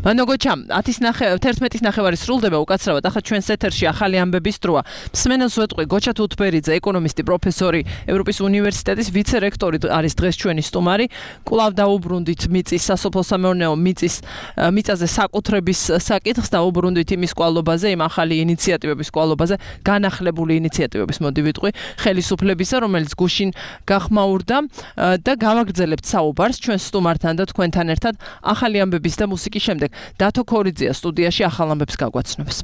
მანოგოჩა 11:09 სრულდება უკაცრავად ახლა ჩვენს ეთერში ახალი ამბების დროა. მსმენელს ვეტყვი გოჩა თუთბერიძე ეკონომისტი პროფესორი ევროპის უნივერსიტეტის ვიცე-რექტორი არის დღეს ჩვენი სტუმარი. კვლავ დაუბრუნდით მიწის სასოფლო-სამეურნეო მიწაზე საკუთრების საკითხს დაუბრუნდით იმის კვალობაზე, იმ ახალი ინიციატივების კვალობაზე, განახლებული ინიციატივების მოდი ვიტყვი, ხელისუფლებისა, რომელიც გუშინ გახმაურდა და გავაგრძელებთ საუბარს ჩვენს სტუმართან და თქვენთან ერთად ახალი ამბების და მუსიკის შემდეგ. დათო ქორიძეა სტუდიაში ახალ ამბებს გაგვაცნობს.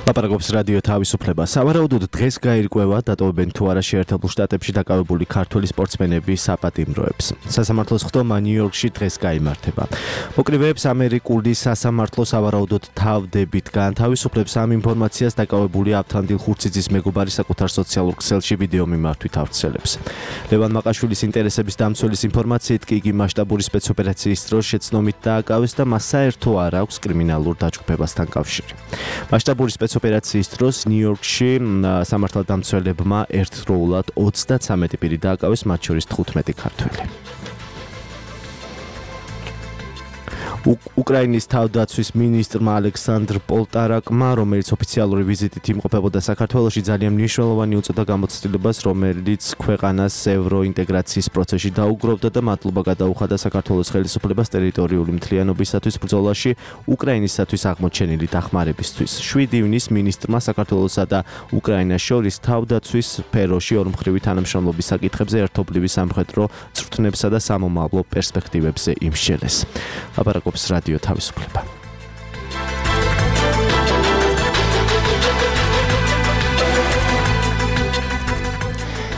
ლაპარაკობს რადიო თავისუფლება. სავარაუდოდ დღეს გაირკვევა დატოვებენ თუ არა შეერთებულ შტატებში დაკავებული ქართველი სპორტსმენები საპატიმროებს. სასამართლოს ხდომა ნიუ-იორკში დღეს გაიმართება. მოკრივეებს ამერიკული სასამართლო სავარაუდოდ თავდებით განთავისუფლებს ამ ინფორმაციას დაკავებული ავთანდილ ხურციძის მეგობარი საკუთარ სოციალურ ქსელში ვიდეო მიმართვით ავრცელებს. ლევან მაყაშვილის ინტერესების დამცველის ინფორმაციით კი იგი მასშტაბური სპეცოპერაციის დროს შეცნომით დააკავეს და მას საერთო არ აქვს კრიმინალურ დაჯგუფებასთან კავშირი. მასშტაბური ოპერაციის დროს ნიუ-იორკში სამართალდამცველებმა ერთდროულად 33 პირი დააკავეს, მათ შორის 15 ქართველი. უკრაინის თავდაცვის მინისტრმა ალექსანდრ პოლტარაკმა, რომელიც ოფიციალური ვიზიტით იმყოფებოდა საქართველოში, ძალიან მნიშვნელოვანი უწოდა გამოცდილებას, რომელიც ქვეყანას ევროინტეგრაციის პროცესში დაუგროვდა და მადლობა გადაუხადა საქართველოს ხელისუფლებას ტერიტორიული მთლიანობისათვის ბრძოლაში უკრაინისათვის აღმოჩენილი დახმარებისთვის. 7 ივნის მინისტრმა საქართველოსა და უკრაინას შორის თავდაცვის სფეროში ორმხრივი თანამშრომლობის საკითხებზე ერთობლივი სამხედრო წვრთნებსა და სამომავლო პერსპექტივებზე იმსჯელეს. ლაპარაკობს რადიო თავისუფლება.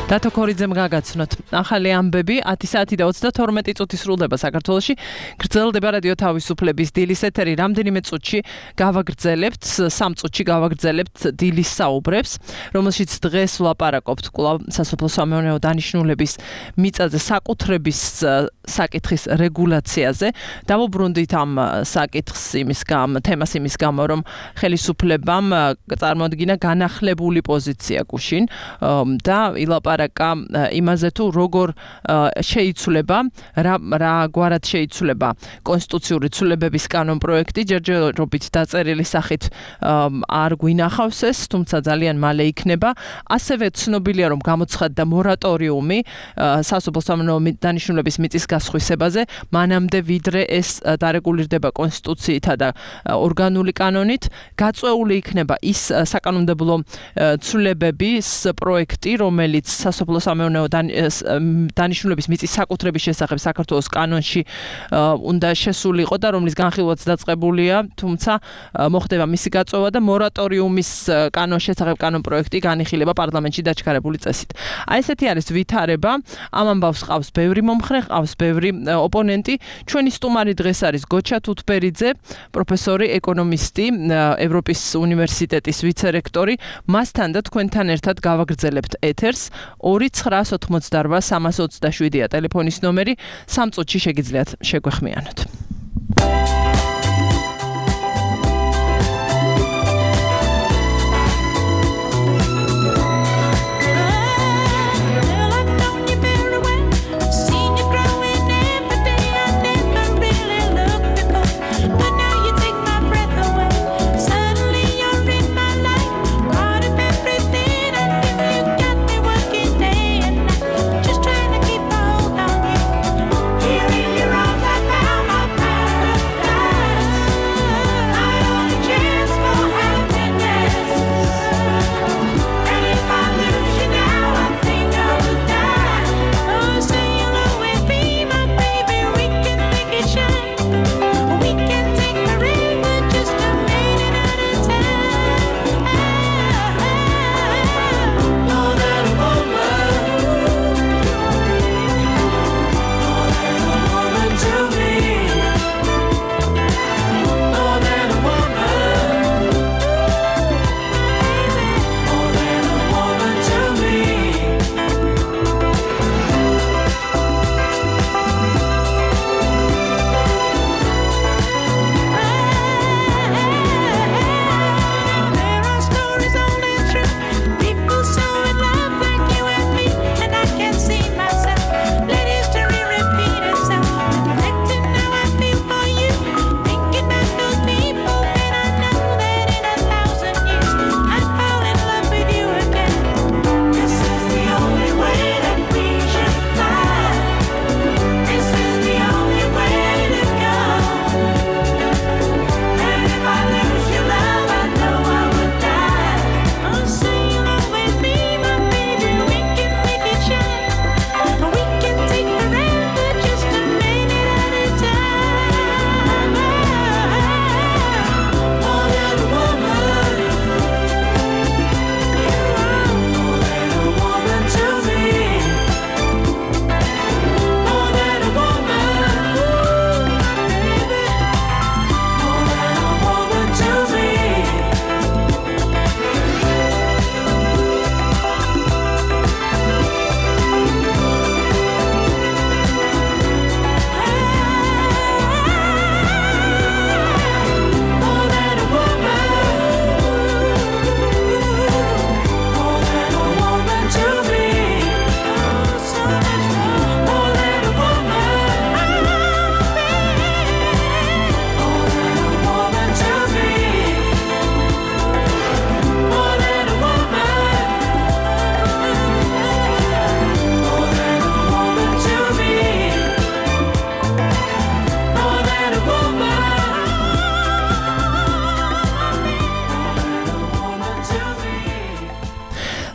დათო ქორიძემ გაგაცნოთ. ახალი ამბები 10:22 წუთი სრულდება საქართველოში. გრძელდება რადიო თავისუფლების დილის ეთერი. რამდენიმე წუთში გავაგრძელებთ, 3 წუთში გავაგრძელებთ დილის საუბრებს, რომელშიც დღეს ვლაპარაკობთ კვლავ სასოფლო-სამეურნეო დანიშნულების მიწაზე საკუთრების საკითხის რეგულაციაზე. დავუბრუნდით ამ საკითხს თემას იმის გამო, რომ ხელისუფლებამ წარმოადგინა განახლებული პოზიცია გუშინ და ილაპარაკა იმაზე თუ როგორ შეიცვლება, რა გვარად შეიცვლება კონსტიტუციური ცვლილებების კანონპროექტი, ჯერჯერობით დაწერილი სახით არ გვინახავს ეს, თუმცა ძალიან მალე იქნება. ასევე ცნობილია, რომ გამოცხადდა მორატორიუმი სასოფლო-სამეურნეო დანიშნულების მიწის გასხვისებაზე, მანამდე ვიდრე ეს დარეგულირდება კონსტიტუციითა და ორგანული კანონით, გაწეული იქნება ის საკანონმდებლო ცვლილებების პროექტი, რომელიც სასოფლო-სამეურნეო დანიშნულების მიწის საკუთრების შესახებ საქართველოს კანონში უნდა შესულიყო და რომლის განხილვაც დაწყებულია, თუმცა მოხდება მისი გაწევა და მორატორიუმის კანონის შესახებ კანონპროექტი განიხილება პარლამენტში დაჩქარებული წესით. აი ესეთი არის ვითარება. ამ ამბავს ყავს ბევრი მომხრე, ყავს ბევრი ოპონენტი. ჩვენი სტუმარი დღეს არის გოჩა თუთბერიძე, პროფესორი, ეკონომისტი, ევროპის უნივერსიტეტის ვიცე-რექტორი. მასთან და თქვენთან ერთად გავაგრძელებთ ეთერს. 2988327 ტელეფონის ნომერი. 3 წუთში შეგიძლიათ შეგვეხმიანოთ. Here in your arms I found my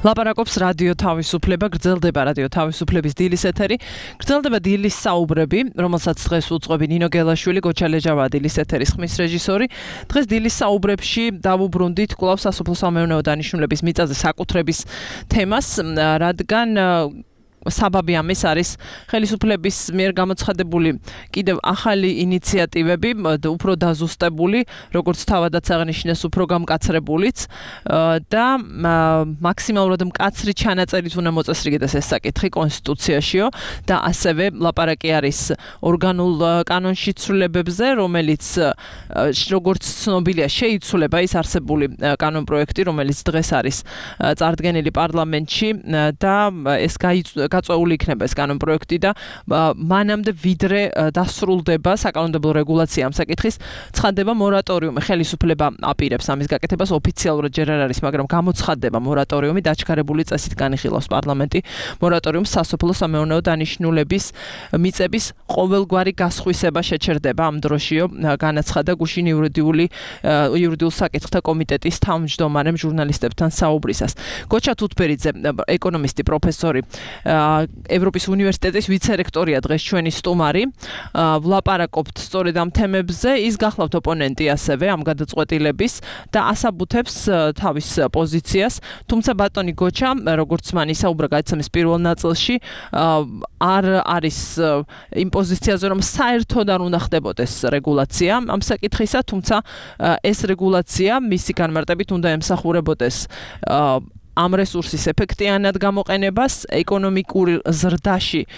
ლაპარაკობს რადიო თავისუფლება, გრძელდება რადიო თავისუფლების დილის ეთერი, გრძელდება დილის საუბრები, რომელსაც დღეს უძღვები ნინო გელაშვილი, გოჩა ლეჯავა დილის ეთერის ხმის რეჟისორი. დღეს დილის საუბრებში დავუბრუნდით კვლავ სასოფლო-სამეურნეო დანიშნულების მიწაზე საკუთრების თემას, რადგან საბაბი ამის არის ხელისუფლების მიერ გამოცხადებული კიდევ ახალი ინიციატივები, უფრო დაზუსტებული, როგორც თავადაც აღნიშნეს, უფრო გამკაცრებულიც და მაქსიმალურად მკაცრი ჩანაწერით უნდა მოწესრიგდეს ეს საკითხი კონსტიტუციაშიო და ასევე ლაპარაკი არის ორგანულ კანონში ცვლილებებზე, რომელიც როგორც ცნობილია შეიცვლება ის არსებული კანონპროექტი, რომელიც დღეს არის წარდგენილი პარლამენტში და ეს გაწეული იქნება ეს კანონპროექტი და მანამდე ვიდრე დასრულდება საკანონმდებლო რეგულაცია ამ საკითხის, ცხადდება მორატორიუმი. ხელისუფლება აპირებს ამის გაკეთებას, ოფიციალურად ჯერ არ არის, მაგრამ გამოცხადდება მორატორიუმი, დაჩქარებული წესით განიხილავს პარლამენტი მორატორიუმს სასოფლო-სამეურნეო დანიშნულების მიწების ყოველგვარი გასხვისება შეჩერდება ამ დროშიო, განაცხადა გუშინ იურიდიულ საკითხთა კომიტეტის თავმჯდომარემ ჟურნალისტებთან საუბრისას. გოჩა თუთბერიძე, ეკონომისტი, პროფესორი, ევროპის უნივერსიტეტის ვიცე-რექტორია დღეს ჩვენი სტუმარი. ვლაპარაკობთ სწორედ ამ თემებზე, ის გახლავთ ოპონენტი ასევე ამ გადაწყვეტილების და ასაბუთებს თავის პოზიციას. თუმცა ბატონი გოჩა, როგორც მან ისაუბრა გადაცემის პირველ ნაწილში, არ არის იმ პოზიციაზე, რომ საერთოდ არ უნდა ხდებოდეს რეგულაცია ამ საკითხისა, თუმცა ეს რეგულაცია მისი განმარტებით უნდა ემსახურებოდეს ამ რესურსის ეფექტიანად გამოყენებას, ეკონომიკურ ზრდაში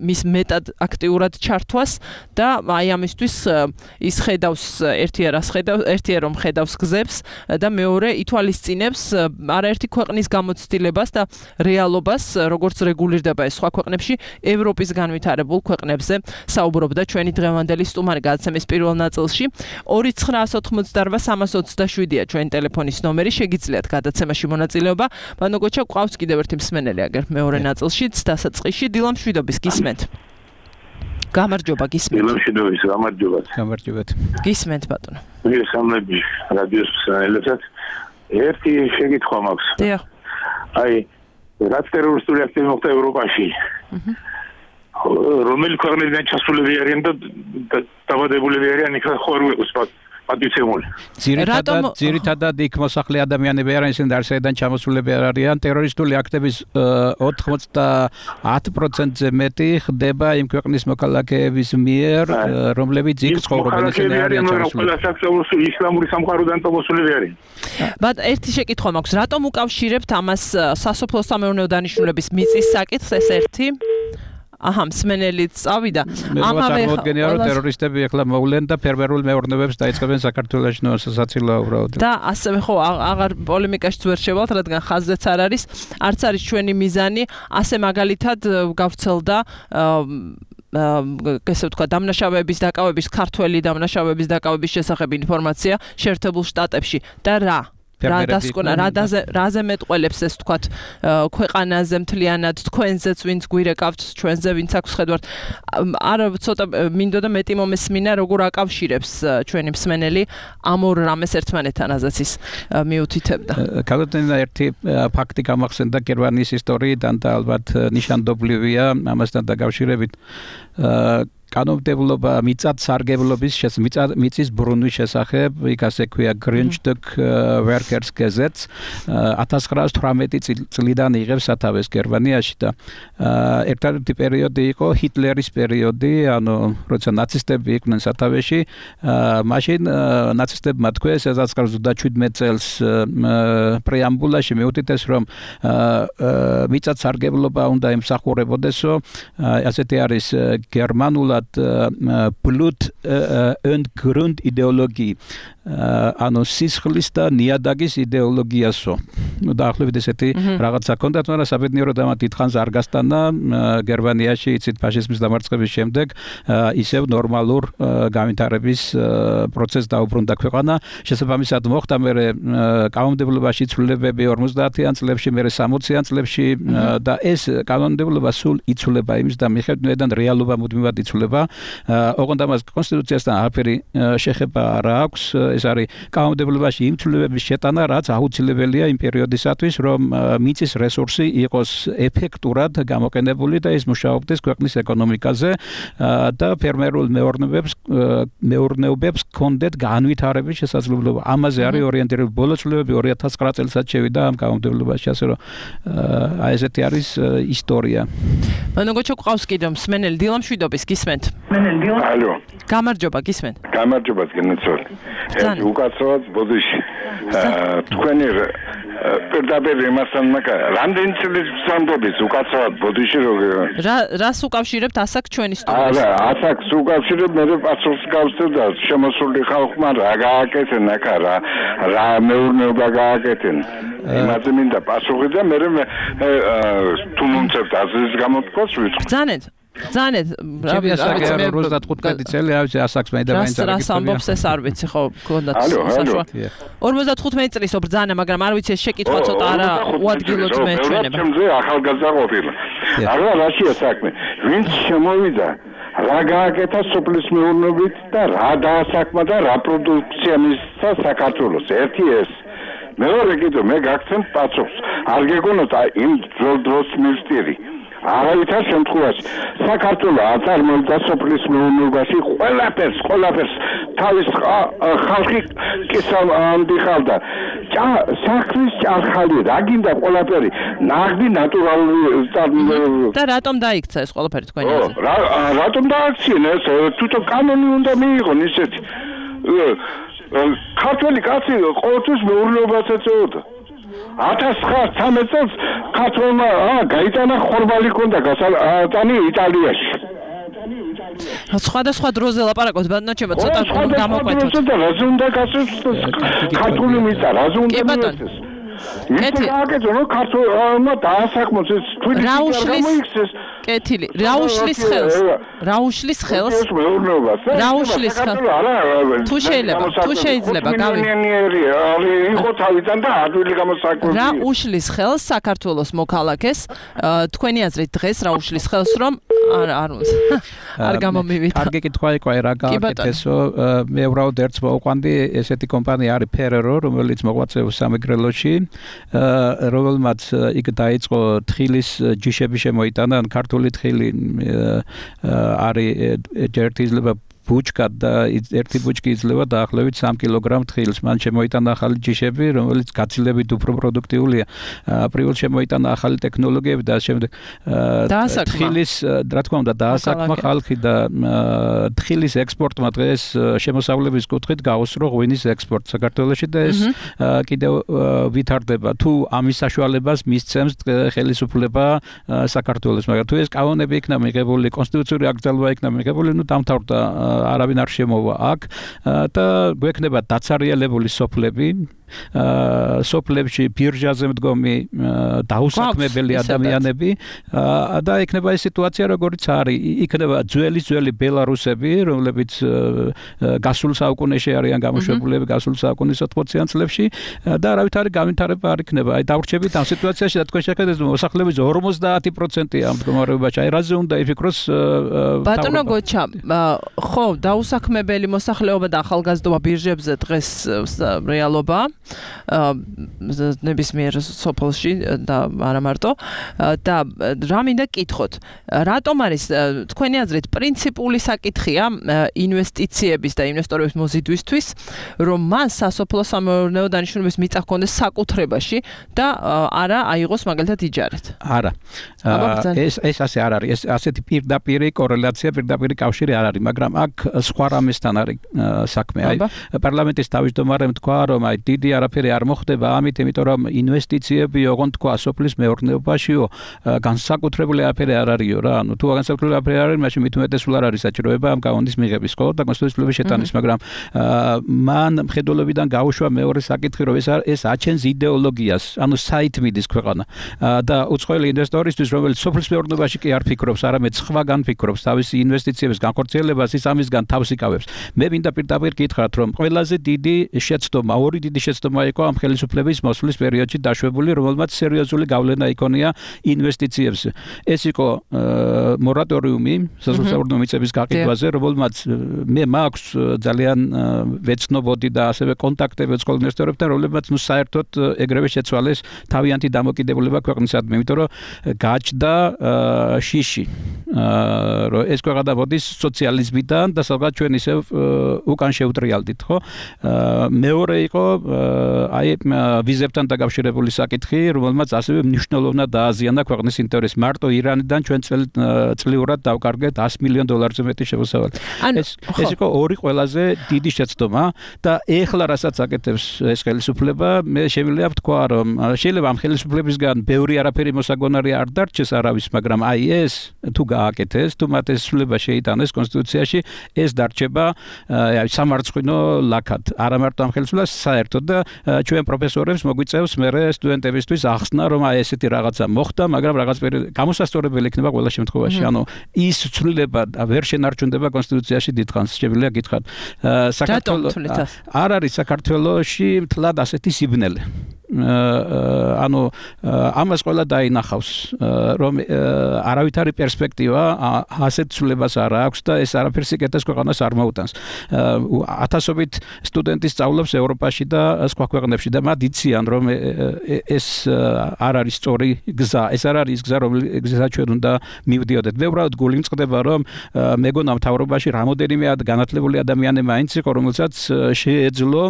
მის მეტად აქტიურად ჩართვას და აი ამისთვის ის ხედავს ერთია რომ ხედავს გზებს და მეორე ითვალისწინებს არაერთი ქვეყნის გამოცდილებას და რეალობას, როგორც რეგულირდება ეს სხვა ქვეყნებში, ევროპის განვითარებულ ქვეყნებზე საუბრობდა ჩვენი დღევანდელი სტუმარი გადაცემის პირველ ნაწილში. 2988-327-ია ჩვენი ტელეფონის ნომერი, შეგიძლიათ გადაცემაში მონაწილეობა. ბანო გოჩა, ყავს კიდევ ერთი მსმენელი აგერ მეორე ნაწილშიც დასაწყისში. დილა მშვიდობის, გისმენთ. გამარჯობა, გისმენთ. დილა მშვიდობის, გამარჯობათ. გისმენთ ბატონო. მოგესალმები რადიოს მსმენელებსაც. ერთი შეკითხვა მაქვს. დიახ. აი, რაც ტერორისტული აქტი მოხდა ევროპაში. რომელი ქვეყნებიდან ჩასულები არიან და დაბადებულები არიან, იქ ხო არ უყოს პატიცემული. ძირითადად იქ მოსახლე ადამიანები არიან, ისინი არცერიდან ჩამოსულები არ არიან. ტერორისტული აქტების 90%-ზე მეტი ხდება იმ ქვეყნის მოქალაქეების მიერ, რომლებიც იქ ცხოვრობენ, ისინი არიან ჩამოსულები. ყველა საკუთრივ ისლამური სამყაროდან წამოსულები არიან. ერთი შეკითხვა მაქვს, რატომ უკავშირებთ ამას სასოფლო-სამეურნეო დანიშნულების მიწის საკითხს, ეს ერთი? მსმენელიც წავიდა. ამავე რომ ტერორისტები ახლა მოვლენ და ფერმერულ მეურნეობებს დაიწყებენ საქართველოში სასაცილოა უბრალოდ. და ასევე ხო აღარ პოლემიკაშიც ვერ შევალთ, რადგან ხაზზეც არ არის, არც არის ჩვენი მიზანი, ასე მაგალითად გავრცელდა ესე ვთქვა, დამნაშავეების დაკავების, ქართველი დამნაშავეების დაკავების შესახებ ინფორმაცია შეერთებულ შტატებში და რაზე მეტყველებს ეს თქვათ ქვეყანაზე მთლიანად, თქვენზეც ვინც გვირეკავთ, ჩვენზე ვინც აქვს ხედვართ. არ ცოტა მინდოდა მეტი მომესმინა, როგორ აკავშირებს ჩვენი მსმენელი ამ ორ რამეს ერთმანეთთან, აზაც ის მიუთითებდა. კალოთენა ერთი ფაქტი გამახსენდა გერმანიის ისტორიიდან და ალბათ ნიშანდობლივია ამასთან დაკავშირებით. კანონმდებლობა მიწათსარგებლობის მიწის ბრუნვის შესახებ, იქ ასე ქვია Grundstück Workers Gesetz 1918 წლიდან იღებს სათავეს გერმანიაში და ერთადერთი პერიოდი იყო ჰიტლერის პერიოდი, ანუ როცა ნაცისტები იყვნენ სათავეში, მაშინ ნაცისტებმა თქვეს 1917 წელს პრეამბულაში მიუთითეს, რომ მიწათსარგებლობა უნდა ემსახურებოდესო, ასეთი არის გერმანულად Blut und Grund იდეოლოგი, ანუ სისხლის და ნიადაგის იდეოლოგიასო. დაახლოებით ესეთი რაღაცა ჰქონდათ, მაგრამ საბედნიეროდ ამათ დიდხანს არ გასტანა გერმანიაში, იცით, ფაშიზმის დამარცხების შემდეგ ისევ ნორმალურ განვითარების პროცესს დაუბრუნდა ქვეყანა. შესაბამისად მოხდა მერე კანონმდებლობაში ცვლილებები 50-იან წლებში, მერე 60-იან წლებში და ეს კანონმდებლობა სულ იცვლება იმის და მიხედვითიდან რეალობა მუდმივად იცვლება. ოღონდ ამას კონსტიტუციასთან არაფერი შეხება არ აქვს. ეს არის კანონმდებლობაში იმ ცვლილებების შეტანა, რაც აუცილებელია იმ პერიოდისათვის, რომ მიწის რესურსი იყოს ეფექტურად გამოყენებული და ის მუშაობდეს ქვეყნის ეკონომიკაზე და ფერმერულ მეურნეობებს კონდეთ განვითარების შესაძლებლობა. ამაზე არის ორიენტირებული ბოლო ცვლილებები 2009 წელსაც შევიდა ამ კანონმდებლობაში, ასე რომ აი ესეთი არის ისტორია. მოგოჩო ყავს კიდევ მსმენელი დილა მშვიდობის გისმენთ. ალო. გამარჯობა გისმენთ. გამარჯობა გენაცვალ. ეს უკაცრავად ბოდიში. თქვენი პირდაპირ იმასთან რამდენი წელი სამდების უკაცრავად ბოდიში რას უკავშირებთ ასაკ ჩვენი სტუდიაში? არა, ასაკს უკავშირებ მე პასუხს გავსწრებ და შემოსული ხალხმა რა გააკეთენ აქ რა მეურნეობა გააკეთენ. იმაზე მინდა პასუხი და მე თუ მომწევთ აზრის გამოთქვას ვიწყო. Ձանეთ, Ჩემი ასაკი 55 წელი, ავიცი ასაკს მე და მაინც არ გიქცევი. რას ამბობს ეს არ ვიცი ხო, გქონდათ საშუალება. 55 წლის ობრძანა, მაგრამ არ ვიცი ეს შეკითხვა ცოტა არა უადგილოდ მეჩვენება. ჩემზე ახალგაზრდა ყოფილა. არა რაშია საქმე. ვინც შემოვიდა რა გააკეთა სოფლის მეურნეობით და რა დაასაკმა და რა პროდუქცია მისცა საქართველოს. ერთი ეს მეორე კიდე მე გაგცემ პასუხს. არ გეკონოთ იმ დროს მივსტირი. არავითარ შემთხვევაში საქართველოს აწარმოებდა სოფლის მეურნეობაში ყველაფერს თავის ხალხი კისამდიხავდა საქმის ჭარხალი რა გინდა ყველაფერი ნაღდი ნატურალური და რატომ დაიქცა ეს ყველაფერი თქვენი აზრით? რატომ დააქციენ ეს თვითონ კანონი უნდა მიიღონ ისეთი ქართველი კაცი ყოველთვის მეურნეობას ეწეოდა 1913 წელს ქართველმა გაიტანა ხორბალი ქონდა გასატანი იტალიაში. სხვადასხვა დროზე ლაპარაკობთ, ბატონო, ცოტა გამოყვეთოთ. და რაზე უნდა გასცეს ქართული მიწა, რაზე უნდა მიეცეს. მიწა გააკეთო, რომ ქართველმა დაასაკმოს ეს თვითონ გამოიქცეს. კეთილი. რა უშლის ხელს? რა უშლის ხელს? თუ შეიძლება, იყო თავიდან და ადვილი გამოსაკვირვია. რა უშლის ხელს საქართველოს მოქალაქეს? თქვენი აზრით დღეს რა უშლის ხელს, რომ არ გამომივიდა. კარგი კითხვა იყო, რა გააკეთესო? მე უბრალოდ ერთს მოვყვანდი, ესეთი კომპანია არის Ferrero, რომელიც მოღვაწეობს სამეგრელოში, რომელმაც იქ დაიწყო თხილის ჯიშები შემოიტანა, ან ქართული თხილი არის ერთი ძლება ბუჩკა და ერთი ბუჩკი იძლევა დაახლოებით 3 კილოგრამ თხილს. მან შემოიტანა ახალი ჯიშები, რომელიც გაცილებით უფრო პროდუქტიულია. პრიულ შემოიტანა ახალი ტექნოლოგიები და შემდეგ თხილის, რა თქმა უნდა, დაასაკმა ხალხი და თხილის ექსპორტმა დღეს შემოსავლების კუთხით გაუსრო ღვინის ექსპორტს საქართველოში და ეს კიდევ ვითარდება. თუ ამის საშუალებას მისცემს ხელისუფლება საქართველოს, მაგრამ თუ ეს კანონები იქნა მიღებული, კონსტიტუციური აკრძალვა იქნა მიღებული, ნუ დამთავრდა არავინ არ შემოვა აქ და გვექნება დაცარიელებული სოფლები სოფლებში ბირჟაზე მდგომი დაუსაქმებელი ადამიანები და იქნება ეს სიტუაცია როგორიც არის იქნება ძველი ბელარუსები რომლებიც გასულ საუკუნეში არიან გამოშვებულები გასულ საუკუნის 80-იან წლებში და არავითარი განვითარება არ იქნება აი დავრჩებით ამ სიტუაციაში და თქვენ შეხედეთ მოსახლეობის 50%-ია ამ მდგომარეობაში აი რაზე უნდა იფიქროს ბატონო გოჩა ხო დაუსაქმებელი მოსახლეობა და ახალგაზრდობა ბირჟებზე დღეს რეალობა ნებისმიერ სოფელში და არა მარტო და რა მინდა კითხოთ რატომ არის თქვენი აზრით პრინციპული საკითხია ინვესტიციების და ინვესტორების მოზიდვისთვის რომ მან სასოფლო სამეურნეო დანიშნულების მიწა ჰქონდეს საკუთრებაში და არა აიღოს მაგალითად იჯარით არა ეს ასე არ არის ეს ასეთი პირდაპირი კორელაცია პირდაპირი კავშირი არ არის მაგრამ აქ სხვა რამესთან არის საქმე აი პარლამენტის თავმჯდომარემ თქვა რომ აი დიდი არაფერი არ მოხდება ამით იმიტომ რომ ინვესტიციები ოღონდ თქვა სოფლის მეურნეობაშიო განსაკუთრებული არაფერი არ არისო რა ანუ თუ განსაკუთრებული არაფერი არ არის მაშინ მით უმეტესულ არ არის საჭიროება ამ კანონის მიღების ხო და კონსტიტუციური შეტანის მაგრამ მან მხედველობიდან გაუშვა მეორე საკითხი რომ ეს აჩენს იდეოლოგიას ანუ საით მიდის ქვეყანა და უცხოელი ინვესტორისთვის რომელიც სოფლის მეურნეობაში კი არ ფიქრობს არამედ სხვაგან ფიქრობს თავისი ინვესტიციების განხორციელებას ის ამისგან თავს იკავებს მე მინდა პირდაპირ გითხრათ რომ ყველაზე დიდი შეცდომა ორი დიდი შეცდომა იყო ამ ხელისუფლების მოსვლის პერიოდში დაშვებული, რომელმაც სერიოზული გავლენა იქონია ინვესტიციებზე. ეს იყო მორატორიუმი სასოფლო მიწების გაყიდვაზე, რომელმაც მე მაქვს ძალიან ვეცნობოდი და ასევე კონტაქტები სკოლის ინვესტორებთან, რომლებმაც საერთოდ ეგრევე შეცვალეს თავიანთი დამოკიდებულება ქვეყნისადმი, იმიტომ რომ გაჩნდა შიში, რომ ეს ქვეყანა მოდის სოციალიზმიდან და სადღაც ჩვენ ისევ უკან შევტრიალდით, ხო? მეორე იყო აი ვიზებთან დაკავშირებული საკითხი, რომელმაც ასევე მნიშვნელოვნად დააზიანა ქვეყნის ინტერესს. მარტო ირანიდან ჩვენ წლიურად დავკარგეთ $100 მილიონზე მეტი შემოსავალი. ეს იყო ორი ყველაზე დიდი შეცდომა და ეხლა რასაც აკეთებს ეს ხელისუფლება, მე შემიძლია ვთქვა, რომ შეიძლება ამ ხელისუფლებისგან ბევრი არაფერი მოსაგონარი არ დარჩეს არავის, მაგრამ აი ეს თუ გააკეთეს, თუ მათ ეს სულება შეიტანეს კონსტიტუციაში, ეს დარჩება სამარცხვინო ლაქად. არა მარტო ამ ხელისუფლებას, საერთოდ და ჩვენ პროფესორებს მოგვიწევს მერე სტუდენტებისთვის ახსნა, რომ აი ესეთი რაღაცა მოხდა, მაგრამ რაღაც გამოსასწორებელი იქნება ყველა შემთხვევაში. ანუ ის ცვლილება ვერ შენარჩუნდება კონსტიტუციაში დიდხანს, შეგვიძლია გითხრათ. საქართველოს არ არის საქართველოში მთლად ასეთი სიბნელე. ანუ ამას ყველა დაინახავს, რომ არავითარი პერსპექტივა ასეთ ცვლილებას არ აქვს და ეს არაფერს იკეთებს ქვეყანას არ მოუტანს. ათასობით სტუდენტი სწავლობს ევროპაში და სხვა ქვეყნებში და მათ იციან, რომ ეს არ არის სწორი გზა, ეს არ არის გზა, რომელსაც ჩვენ უნდა მივდიოდეთ. მე უბრალოდ გული მწყდება, რომ მეგონა მთავრობაში რამოდენიმე განათლებული ადამიანი მაინც იყო, რომელსაც შეეძლო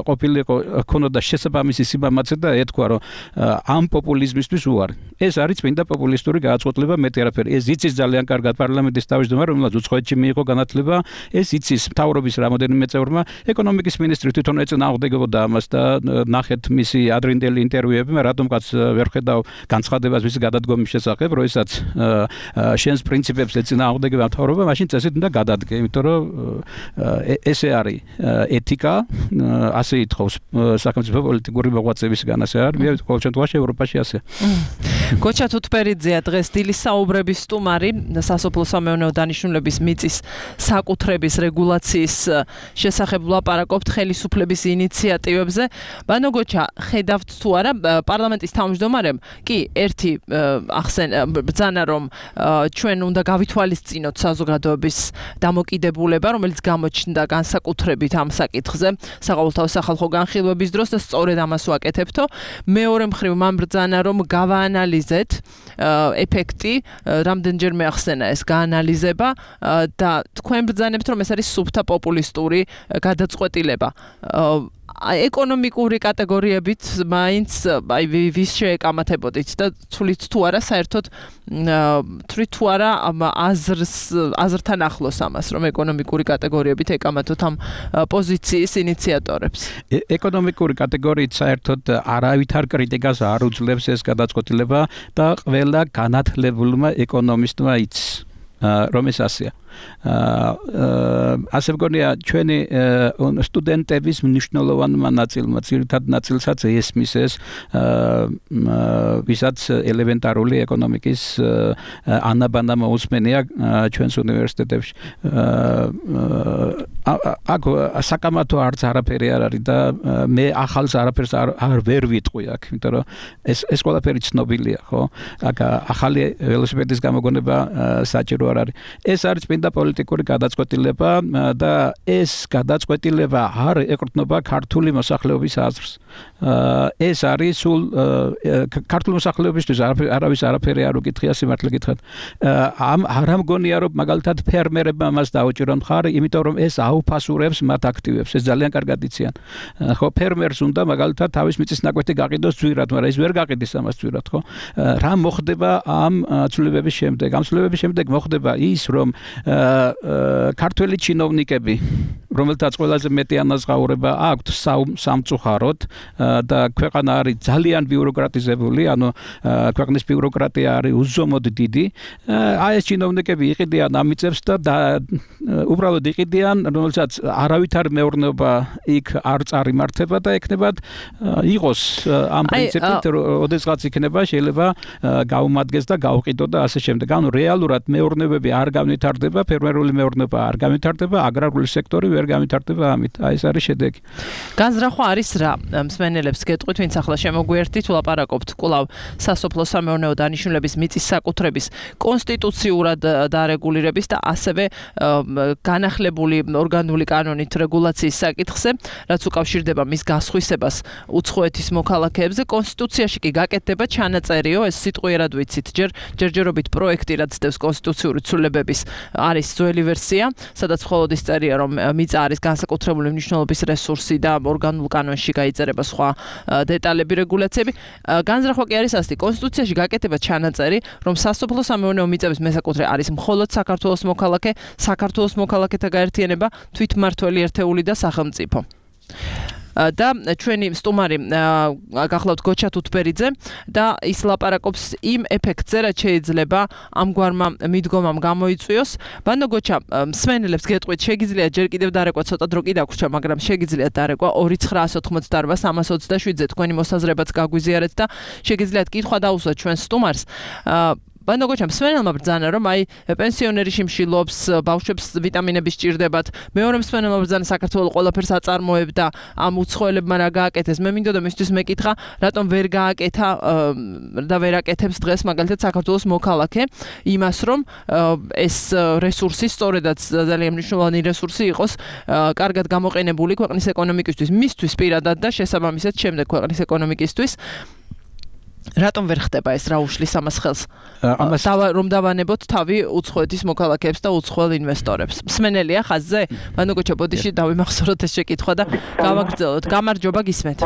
ყოფილიყო ქონოდა შესაბამისი ამაცე და ეთქვა, რომ ამ პოპულიზმისთვის უარი. ეს არის წმინდა პოპულისტური გააწყოთლება, მეტი არაფერი. ეს იცის ძალიან კარგად პარლამენტის თავმჯდომარე, რომელმაც უცხოეთში მიიღო განათლება, ეს იცის მთავრობის რამოდენიმე წევრმა, ეკონომიკის მინისტრი თვითონ ეწინააღმდეგებოდა ამას და ნახეთ მისი ადრინდელი ინტერვიუები, მე რატომღაც ვერ ხედავ განცხადებას მისი გადადგომის შესახებ, როდესაც შენს პრინციპებს ეწინააღმდეგება მთავრობა, მაშინ წესით უნდა გადადგე, იმიტომ რომ ესე არის ეთიკა, ასე ითხოვს სახელმწიფო პოლიტიკური მოღვაწეებისგან, ასე არის, მე ყოველ შემთხვევაში ევროპაში ასე. გოჩა თუთბერიძეა დღეს დილის საუბრების სტუმარი, სასოფლო-სამეურნეო დანიშნულების მიწის საკუთრების რეგულაციის შესახებ ვლაპარაკობთ ხელისუფლების ინიციატივებზე. ბანო გოჩა, ხედავთ თუ არა პარლამენტის თავმჯდომარემ კი ერთი ბრძანა, რომ ჩვენ უნდა გავითვალისწინოთ საზოგადოების დამოკიდებულება, რომელიც გამოჩნდა განსაკუთრებით ამ საკითხზე საყოველთაო სახალხო განხილვების დროს და სწორედ ამას ვაკეთებთო. მეორე მხრივ მან ბრძანა, რომ გავაანალიზეთ ეფექტი, რამდენჯერმე ახსენა ეს გაანალიზება და თქვენ ბრძანებთ, რომ ეს არის სუფთა პოპულისტური გადაწყვეტილება. ეკონომიკური კატეგორიებით მაინც აი ვის შეეკამათებოდით და თulit თუ არა საერთოდ თulit თუ არა აზრთან ახლოს ამას, რომ ეკონომიკური კატეგორიებით ეკამათოთ ამ პოზიციის ინიციატორებს. ეკონომიკური კატეგორიით საერთოდ არავითარ კრიტიკას არ უძლებს ეს გადაწყვეტილება და ყველა განათლებულმა ეკონომისტმა იცის, რომ ეს ასეა. ასე მგონია ჩვენი სტუდენტების მნიშვნელოვანმა ნაწილმა, ძირითად ნაწილსაც ესმის ეს ვისაც ელემენტარული ეკონომიკის ანაბანა მოусმენია ჩვენს უნივერსიტეტებში. აქ საკამათო არც არაფერი არ არის და მე ახალს არაფერს არ ვერ ვიტყვი აქ, იმიტომ რომ ეს ყველაფერი ცნობილია, ხო? აქ ახალი ველოსიპედის გამოგონება საჭირო არ არის. ეს არის წმინდა პოლიტიკური გადაწყვეტილება და ეს გადაწყვეტილება არ ეკრთნობა ქართული მოსახლეობის აზრს. ეს არის სულ ქართული მოსახლეობისთვის არავის არაფერი არ უკითხია, სიმართლე გითხრათ. არ ამგონია, რომ მაგალითად ფერმერებმა მას დაუჭირონ მხარი, იმიტომ რომ ეს აუფასურებს მათ აქტივებს. ეს ძალიან კარგად იციან. ხო, ფერმერს უნდა მაგალითად თავის მიწის ნაკვეთი გაყიდოს ძვირად, მაგრამ ის ვერ გაყიდის ამას ძვირად, ხო? რა მოხდება ამ ცვლილებების შემდეგ? ამ ცვლილებების შემდეგ მოხდება ის, რომ ქართველი ჩინოვნიკები, რომელთაც ყველაზე მეტი ანაზღაურება აქვთ სამწუხაროდ და ქვეყანა არის ძალიან ბიუროკრატიზებული, ანუ ქვეყნის ბიუროკრატია არის უზომოდ დიდი. აი ეს ჩინოვნიკები იყიდიან ამ მიწებს და უბრალოდ იყიდიან, რომელსაც არავითარ მეურნეობა იქ არ წარიმართება და ეკნებათ იყოს ამ პრინციპით, ოდესღაც იქნება შეიძლება გაუმადგეს და გაუყიდო და ასე შემდეგ. ანუ რეალურად მეურნეობები არ განვითარდება, ფერმერული მეურნეობა არ განვითარდება, აგრარული სექტორი ვერ ვერ გამითარდება ამით. აი ეს არის შედეგი. განზრახვა არის რა? მსმენელებს გეტყვით, ვინც ახლა შემოგვიერთით, ვლაპარაკობთ კვლავ სასოფლო-სამეურნეო დანიშნულების მიწის საკუთრების კონსტიტუციურად დარეგულირების და ასევე განახლებული ორგანული კანონით რეგულაციის საკითხზე, რაც უკავშირდება მის გასხვისებას უცხოეთის მოქალაქეებზე. კონსტიტუციაში კი გაკეთდება ჩანაწერიო, ეს სიტყვიერად ვიცით, ჯერჯერობით პროექტი, რაც ცდებს კონსტიტუციური ცვლილებების არის ძველი ვერსია, სადაც მხოლოდ ის წერია, რომ მიწა არის განსაკუთრებული მნიშვნელობის რესურსი და ორგანულ კანონში გაიწერება სხვა დეტალები, რეგულაციები. განზრახვა კი არის ასეთი, კონსტიტუციაში გაკეთება ჩანაწერი, რომ სასოფლო-სამეურნეო მიწების მესაკუთრე არის მხოლოდ საქართველოს მოქალაქე, საქართველოს მოქალაქეთა გაერთიანება, თვითმმართველი ერთეული და სახელმწიფო. და ჩვენი სტუმარი გახლავთ გოჩა თუთბერიძე და ის ლაპარაკობს იმ ეფექტზე, რაც შეიძლება ამგვარმა მიდგომამ გამოიწვიოს. ბანო გოჩა, მსმენელებს გეტყვით, შეგიძლიათ ჯერ კიდევ დარეკვა, ცოტა დრო კი დაგვრჩა, მაგრამ შეგიძლიათ დარეკვა 2988-327-ზე თქვენი მოსაზრებაც გაგვიზიარეთ და შეგიძლიათ კითხვა დაუსვათ ჩვენს სტუმარს. ბანო გოჩა, მსმენელმა ბრძანა, რომ აი პენსიონერი შიმშილობს, ბავშვებს ვიტამინები სჭირდებათ. მეორე მსმენელმა ბრძანა, საქართველოს ყველაფერს აწარმოებდა, ამ უცხოელებმა რა გააკეთეს. მე მინდოდა მისთვის მეკითხა, რატომ ვერ გააკეთა და ვერ აკეთებს დღეს მაგალითად საქართველოს მოქალაქე იმას, რომ ეს რესურსი, სწორედაც ძალიან მნიშვნელოვანი რესურსი იყოს, კარგად გამოყენებული ქვეყნის ეკონომიკისთვის, მისთვის პირადად და შესაბამისად შემდეგ ქვეყნის ეკონომიკისთვის. რატომ ვერ ხდება ეს, რა უშლის ამას ხელს? რომ დავანებოთ თავი უცხოეთის მოქალაქეებს და უცხოელ ინვესტორებს. მსმენელია ხაზზე? ბანო გოჩა, ბოდიში დავიმახსოვროთ ეს შეკითხვა და გავაგრძელოთ. გამარჯობა, გისმენთ.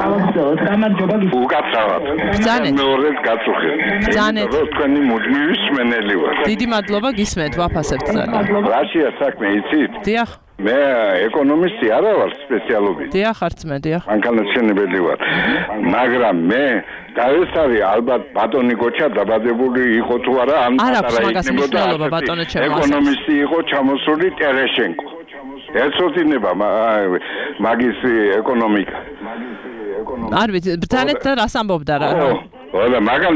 უკაცრავად. ბრძანეთ. მეორედ გაწუხეთ. ბრძანეთ. თქვენი მუდმივი მსმენელი ვარ. დიდი მადლობა, გისმენთ, ვაფასებთ ძალიან. რაშია საქმე, იცით? დიახ. მე ეკონომისტი არა ვარ სპეციალობით. დიახ, არცმე, დიახ. მანქანათმშენებელი ვარ. მაგრამ მე და ეს არის ალბათ ბატონი გოჩა დაბადებული იყო თუ არა ამ ეკონომისტი იყო ჩამოსული ტერეშენკო. ეცოდინება მაგის ეკონომიკა. არ ვიცი, ბრძანეთ და რას ამბობდა რა. ოდა მაგან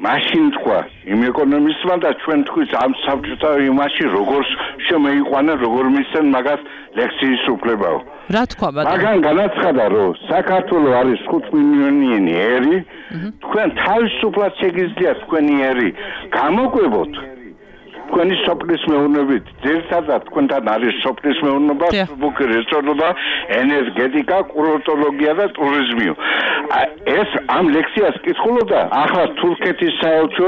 მაშინ თქვა იმ ეკონომისტმა და ჩვენ თქვით ამ საბჭოთა იმაში როგორ შემეიყვანა, როგორ მისცენ მაგას ლექციის უფლებაო. რა თქვა ბატონო? მაგან განაცხადა, რომ საქართველოს არის 5 მილიონიანი ერი, თქვენ თავისუფლად შეგიძლიათ თქვენი ერი გამოკვებოთ. თქვენი სოფლის მეურნეობით, ძირითადად თქვენთან არის სოფლის მეურნეობა, სუბუქი რესტორნობა, ენერგეტიკა, კურორტოლოგია და ტურიზმი. ეს ამ ლექციას კითხულობდა ახლა თურქეთის საელჩო,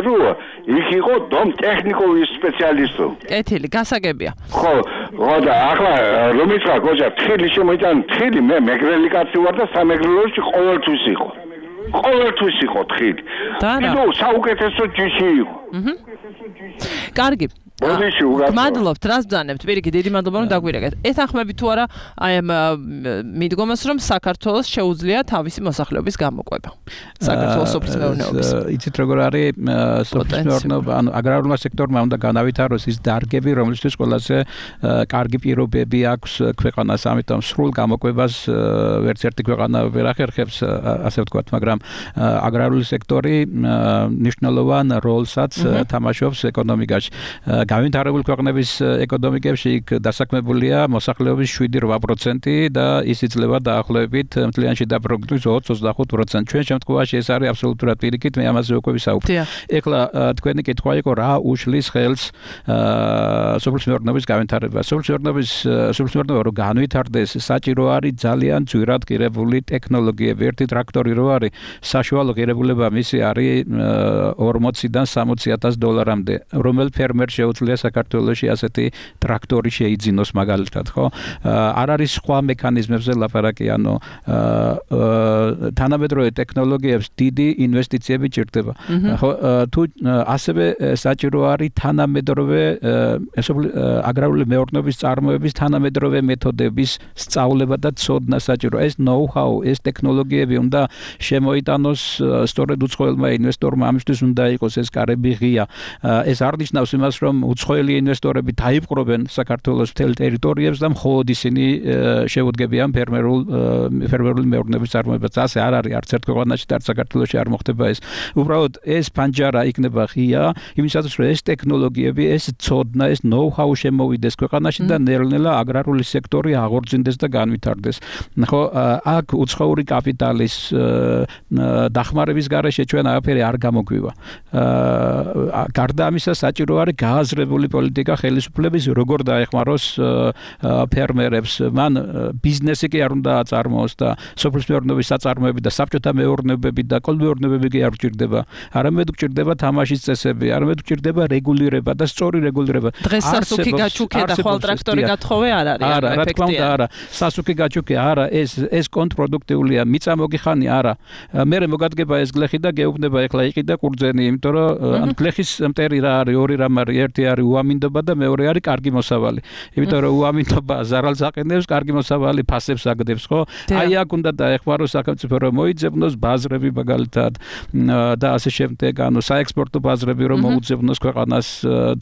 იქ იყო დომ ტექნიკოვის სპეციალისტო. კეთილი, გასაგებია. ხო, და ახლა რომ იცხა გოჯა, თხილი შემოიტან, თხილი მე მეგრელი კაცი ვარ და სამეგრელოში ყოველთვის იყო. ყოველთვის იყო თხილი. ნუ საუკეთესო ჯიში იყო. კარგი. მადლობთ, რას ბრძანებთ? პირიქით, დიდი მადლობა რომ დაგვირეკეთ. ეთანხმებით თუ არა აი ამ მიდგომას, რომ საქართველოს შეუძლია თავისი მოსახლეობის გამოყვება. საქართველოს სოფლის მეურნეობის. იცით როგორ არის სოფლის მეურნეობა, ანუ აგრარულმა სექტორმა უნდა განავითაროს ის დარგები, რომლისთვის ყველაზე კარგი პირობები აქვს ქვეყანას, ამიტომ სრულ გამოყვებას ვერც ერთი ქვეყანა ვერ ახერხებს, ასე ვთქვათ, მაგრამ აგრარული სექტორი მნიშვნელოვან როლსაც თამაშობს ეკონომიკაში. გავითარებულ ქვეყნების ეკონომიკებში იქ დასაქმებულია მოსახლეობის 7-8% და ის იძლევა დაახლოებით მთლიანში დაპროგნოზოს 20-25%. ჩვენ შემთხვევაში ეს არის აბსოლუტურად პირიქით, მე ამაზე უკვე ვისაუბრე. ეხლა თქვენი კითხვა იყო რა უშლის ხელს სოფლის მეურნეობის გავითარება. სოფლის მეურნეობა რომ განვითარდეს, საჭირო არის ძალიან ძვირად ღირებული ტექნოლოგიები. ერთი ტრაქტორი რო არის, საშუალო ღირებულება მისი არის 40-დან $60,000-მდე. რომელ ფერმერს შეუძლია საქართველოში ასეთი ტრაქტორი შეიძინოს მაგალითად, ხო? არ არის სხვა მექანიზმებზე ლაპარაკი, ანუ თანამედროვე ტექნოლოგიებს დიდი ინვესტიციები ჭირდება. ხო, თუ ასევე საჭირო არის თანამედროვე აგრარული მეურნეობის წარმოების თანამედროვე მეთოდების სწავლება და ცოდნა საჭირო. ეს ნოუ-ჰაუ, ეს ტექნოლოგიები უნდა შემოიტანოს სწორედ უცხოელმა ინვესტორმა, ამისთვის უნდა იყოს ეს კარები ღია. ეს არ ნიშნავს იმას, რომ უცხოელი ინვესტორები დაიპყრობენ საქართველოს მთელ ტერიტორიებს და მხოლოდ ისინი შეუდგებიან ფერმერული მეურნეობის წარმოებას. ასე არ არის არც ერთ ქვეყანაში და არც საქართველოში არ მოხდება ეს. უბრალოდ ეს ფანჯარა იქნება ღია, იმისათვის რომ ეს ტექნოლოგიები, ეს ცოდნა, ეს ნოუ-ჰაუ შემოვიდეს ქვეყანაში და ნელ-ნელა აგრარული სექტორი აღორძინდეს და განვითარდეს. ხო, აქ უცხოური კაპიტალის დახმარების გარეშე ჩვენ არაფერი არ გამოგვივა. გარდა ამისა საჭირო არის გააზრებული პოლიტიკა ხელისუფლების როგორ დაეხმაროს ფერმერებს. მან ბიზნესი კი არ უნდა აწარმოოს და სოფლის მეურნეობის საწარმოები და საბჭოთა მეურნეობები და კოლმეურნეობები კი არ გჭირდება. არამედ გჭირდება თამაშის წესები, არამედ გჭირდება რეგულირება და სწორი რეგულირება. დღეს სასუქი გაჩუქე და ხვალ ტრაქტორი გათხოვე არ არის. არა, რა თქმა უნდა, არა. სასუქი გაჩუქე არა, ეს კონტრპროდუქტიულია, მიწა მოგიხანი არა. მე მოგადგება ეს გლეხი და გეუბნება ეხლა იყიდა კურძენი, იმიტომ რომ გლეხის მტერი რა არის, ორი რამ არის, ერთი არის უამინდობა და მეორე არის კარგი მოსავალი. იმიტომ რომ უამინდობა ზარალს აყენებს, კარგი მოსავალი ფასებს აგდებს, ხო? აი აქ უნდა დაეხმაროს სახელმწიფო რომ მოიძებნოს ბაზრები მაგალითად და ასე შემდეგ, ანუ საექსპორტო ბაზრები რომ მოუძებნოს ქვეყანას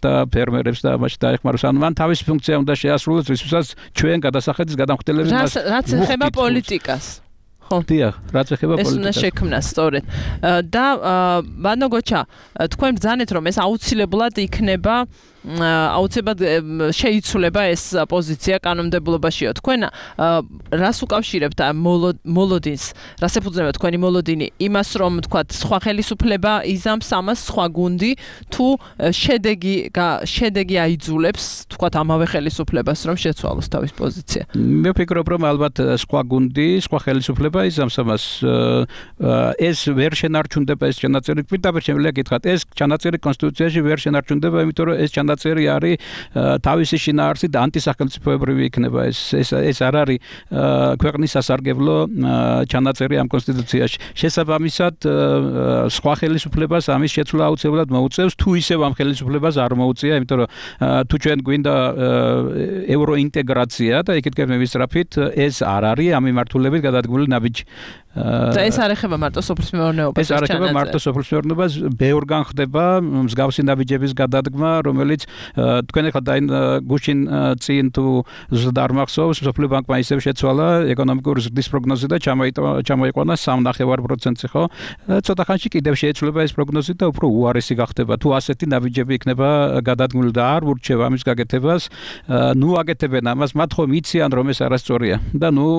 და ფერმერებს და ამაში დაეხმაროს. ანუ მან თავისი ფუნქცია უნდა შეასრულოს, რისთვისაც ჩვენ გადასახადის გადამხდელები მას რაც ეხება პოლიტიკას. ხო, დიახ, რაც ეხება პოლიტიკას. ეს უნდა შექმნას სწორედ. და ბანო გოჩა, თქვენ ბრძანეთ რომ ეს აუცილებლად იქნება აუცილებლად შეიცვლება ეს პოზიცია კანონმდებლობაშიო. თქვენ რას უკავშირებთ მოლოდინს? რას ეფუძნება თქვენი მოლოდინი? იმას რომ თქვათ სხვა ხელისუფლება იზამს ამას სხვა გუნდი თუ შედეგი აიძულებს თქვათ ამავე ხელისუფლებას რომ შეცვალოს თავის პოზიცია? მე ვფიქრობ რომ ალბათ სხვა გუნდი, სხვა ხელისუფლება იზამს ამას. ეს ვერ შენარჩუნდება ეს ჩანაწერი. პირდაპირ შემიძლია გითხრათ, ეს ჩანაწერი კონსტიტუციაში ვერ შენარჩუნდება, იმიტომ რომ ეს ჩანაწერი არის თავისი შინაარსით ანტისახელმწიფოებრივი იქნება. ეს არ არის ქვეყნის სასარგებლო ჩანაწერი ამ კონსტიტუციაში. შესაბამისად, სხვა ხელისუფლებას ამის შეცვლა აუცილებლად მოუწევს, თუ ისევ ამ ხელისუფლებას არ მოუწია, იმიტომ რომ თუ ჩვენ გვინდა ევროინტეგრაცია და იქით მივისწრაფით, ეს არ არის ამ მიმართულებით გადადგმული ნაბიჯი. და ეს არ ეხება მარტო სოფლის მეურნეობას. ეს არ ეხება მარტო სოფლის მეურნეობას, ბევრგან ხდება მსგავსი ნაბიჯების გადადგმა, რომელიც თქვენ ახლა გუშინ წინ თუ ზუსტად არ მახსოვს, სოფლიო ბანკმა ისევ შეცვალა ეკონომიკური ზრდის პროგნოზი და ჩამოიყვანა 3.9%, ხო? ცოტა ხანში კიდევ შეიცვლება ეს პროგნოზი და უფრო უარესი გახდება. თუ ასეთი ნაბიჯები იქნება გადადგმული და არ ურჩევა ამის გაკეთებას, ნუ აკეთებენ ამას, მათ ხომ იციან რომ ეს არასწორია და ნუ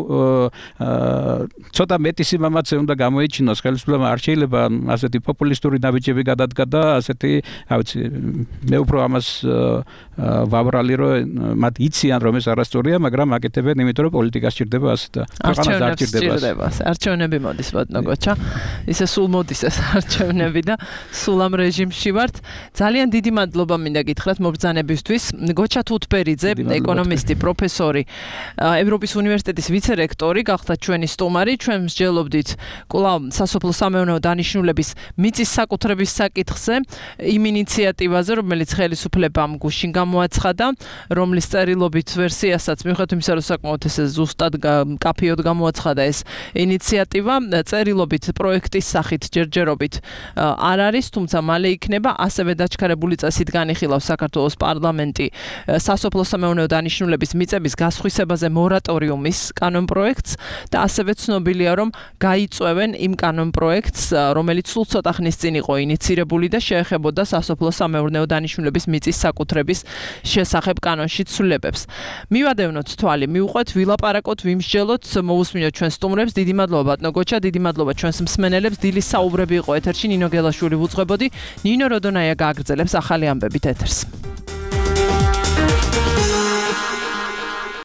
ცოტა მეტი სიმამაცე უნდა გამოიჩინოს ხელისუფლებამ. არ შეიძლება ასეთი პოპულისტური ნაბიჯები გადადგა და ასეთი, რა ვიცი, მე უფრო ამას ვაბრალი რომ მათ იციან რომ ეს არასწორია, მაგრამ აკეთებენ იმიტომ რომ პოლიტიკა სჭირდება ასე და ქვეყანას არ სჭირდება. არჩევნები მოდის ბატონო გოჩა. ისე სულ მოდის ეს არჩევნები და სულ ამ რეჟიმში ვართ. ძალიან დიდი მადლობა მინდა გითხრათ მობრძანებისთვის. გოჩა თუთბერიძე, ეკონომისტი, პროფესორი, ევროპის უნივერსიტეტის ვიცე-რექტორი გახდა ჩვენი სტუმარი. ჩვენ მსჯელობდით კვლავ სასოფლო-სამეურნეო დანიშნულების მიწის საკუთრების საკითხზე, იმ ინიციატივაზე, რომელიც ხელისუფლებამ გუშინ გამოაცხადა, რომლის წერილობით ვერსიასაც მიუხედავად იმისა, რომ საკმაოდ ესე ზუსტად კაფეოდ გამოაცხადა ეს ინიციატივა, წერილობით პროექტის სახით ჯერჯერობით არ არის, თუმცა მალე იქნება. ასევე დაჩქარებული წესით განიხილავს საქართველოს პარლამენტი სასოფლო-სამეურნეო დანიშნულების მიწების გასხვისებაზე მორატორიუმის კანონპროექტს და ასევე ცნობილია, რომ გაიწვევენ იმ კანონპროექტს, რომელიც სულ ცოტა ხნის წინ იყო ინიცირებული და შეეხებოდა სასოფლო-სამეურნეო დანიშნულების მიწის საკუთრების შესახებ კანონში ცვლილებებს. მივადევნოთ თვალი, მივუყვეთ, ვილაპარაკოთ, ვიმსჯელოთ, მოусმინოთ ჩვენ სტუმრებს. დიდი მადლობა ბატონო გოჩა, დიდი მადლობა ჩვენს მსმენელებს. დილის საუბრები იყო ეთერში, ნინო გელაშვილი ვუძღვებოდი. ნინო როდონაია გააგრძელებს ახალი ამბებით ეთერს.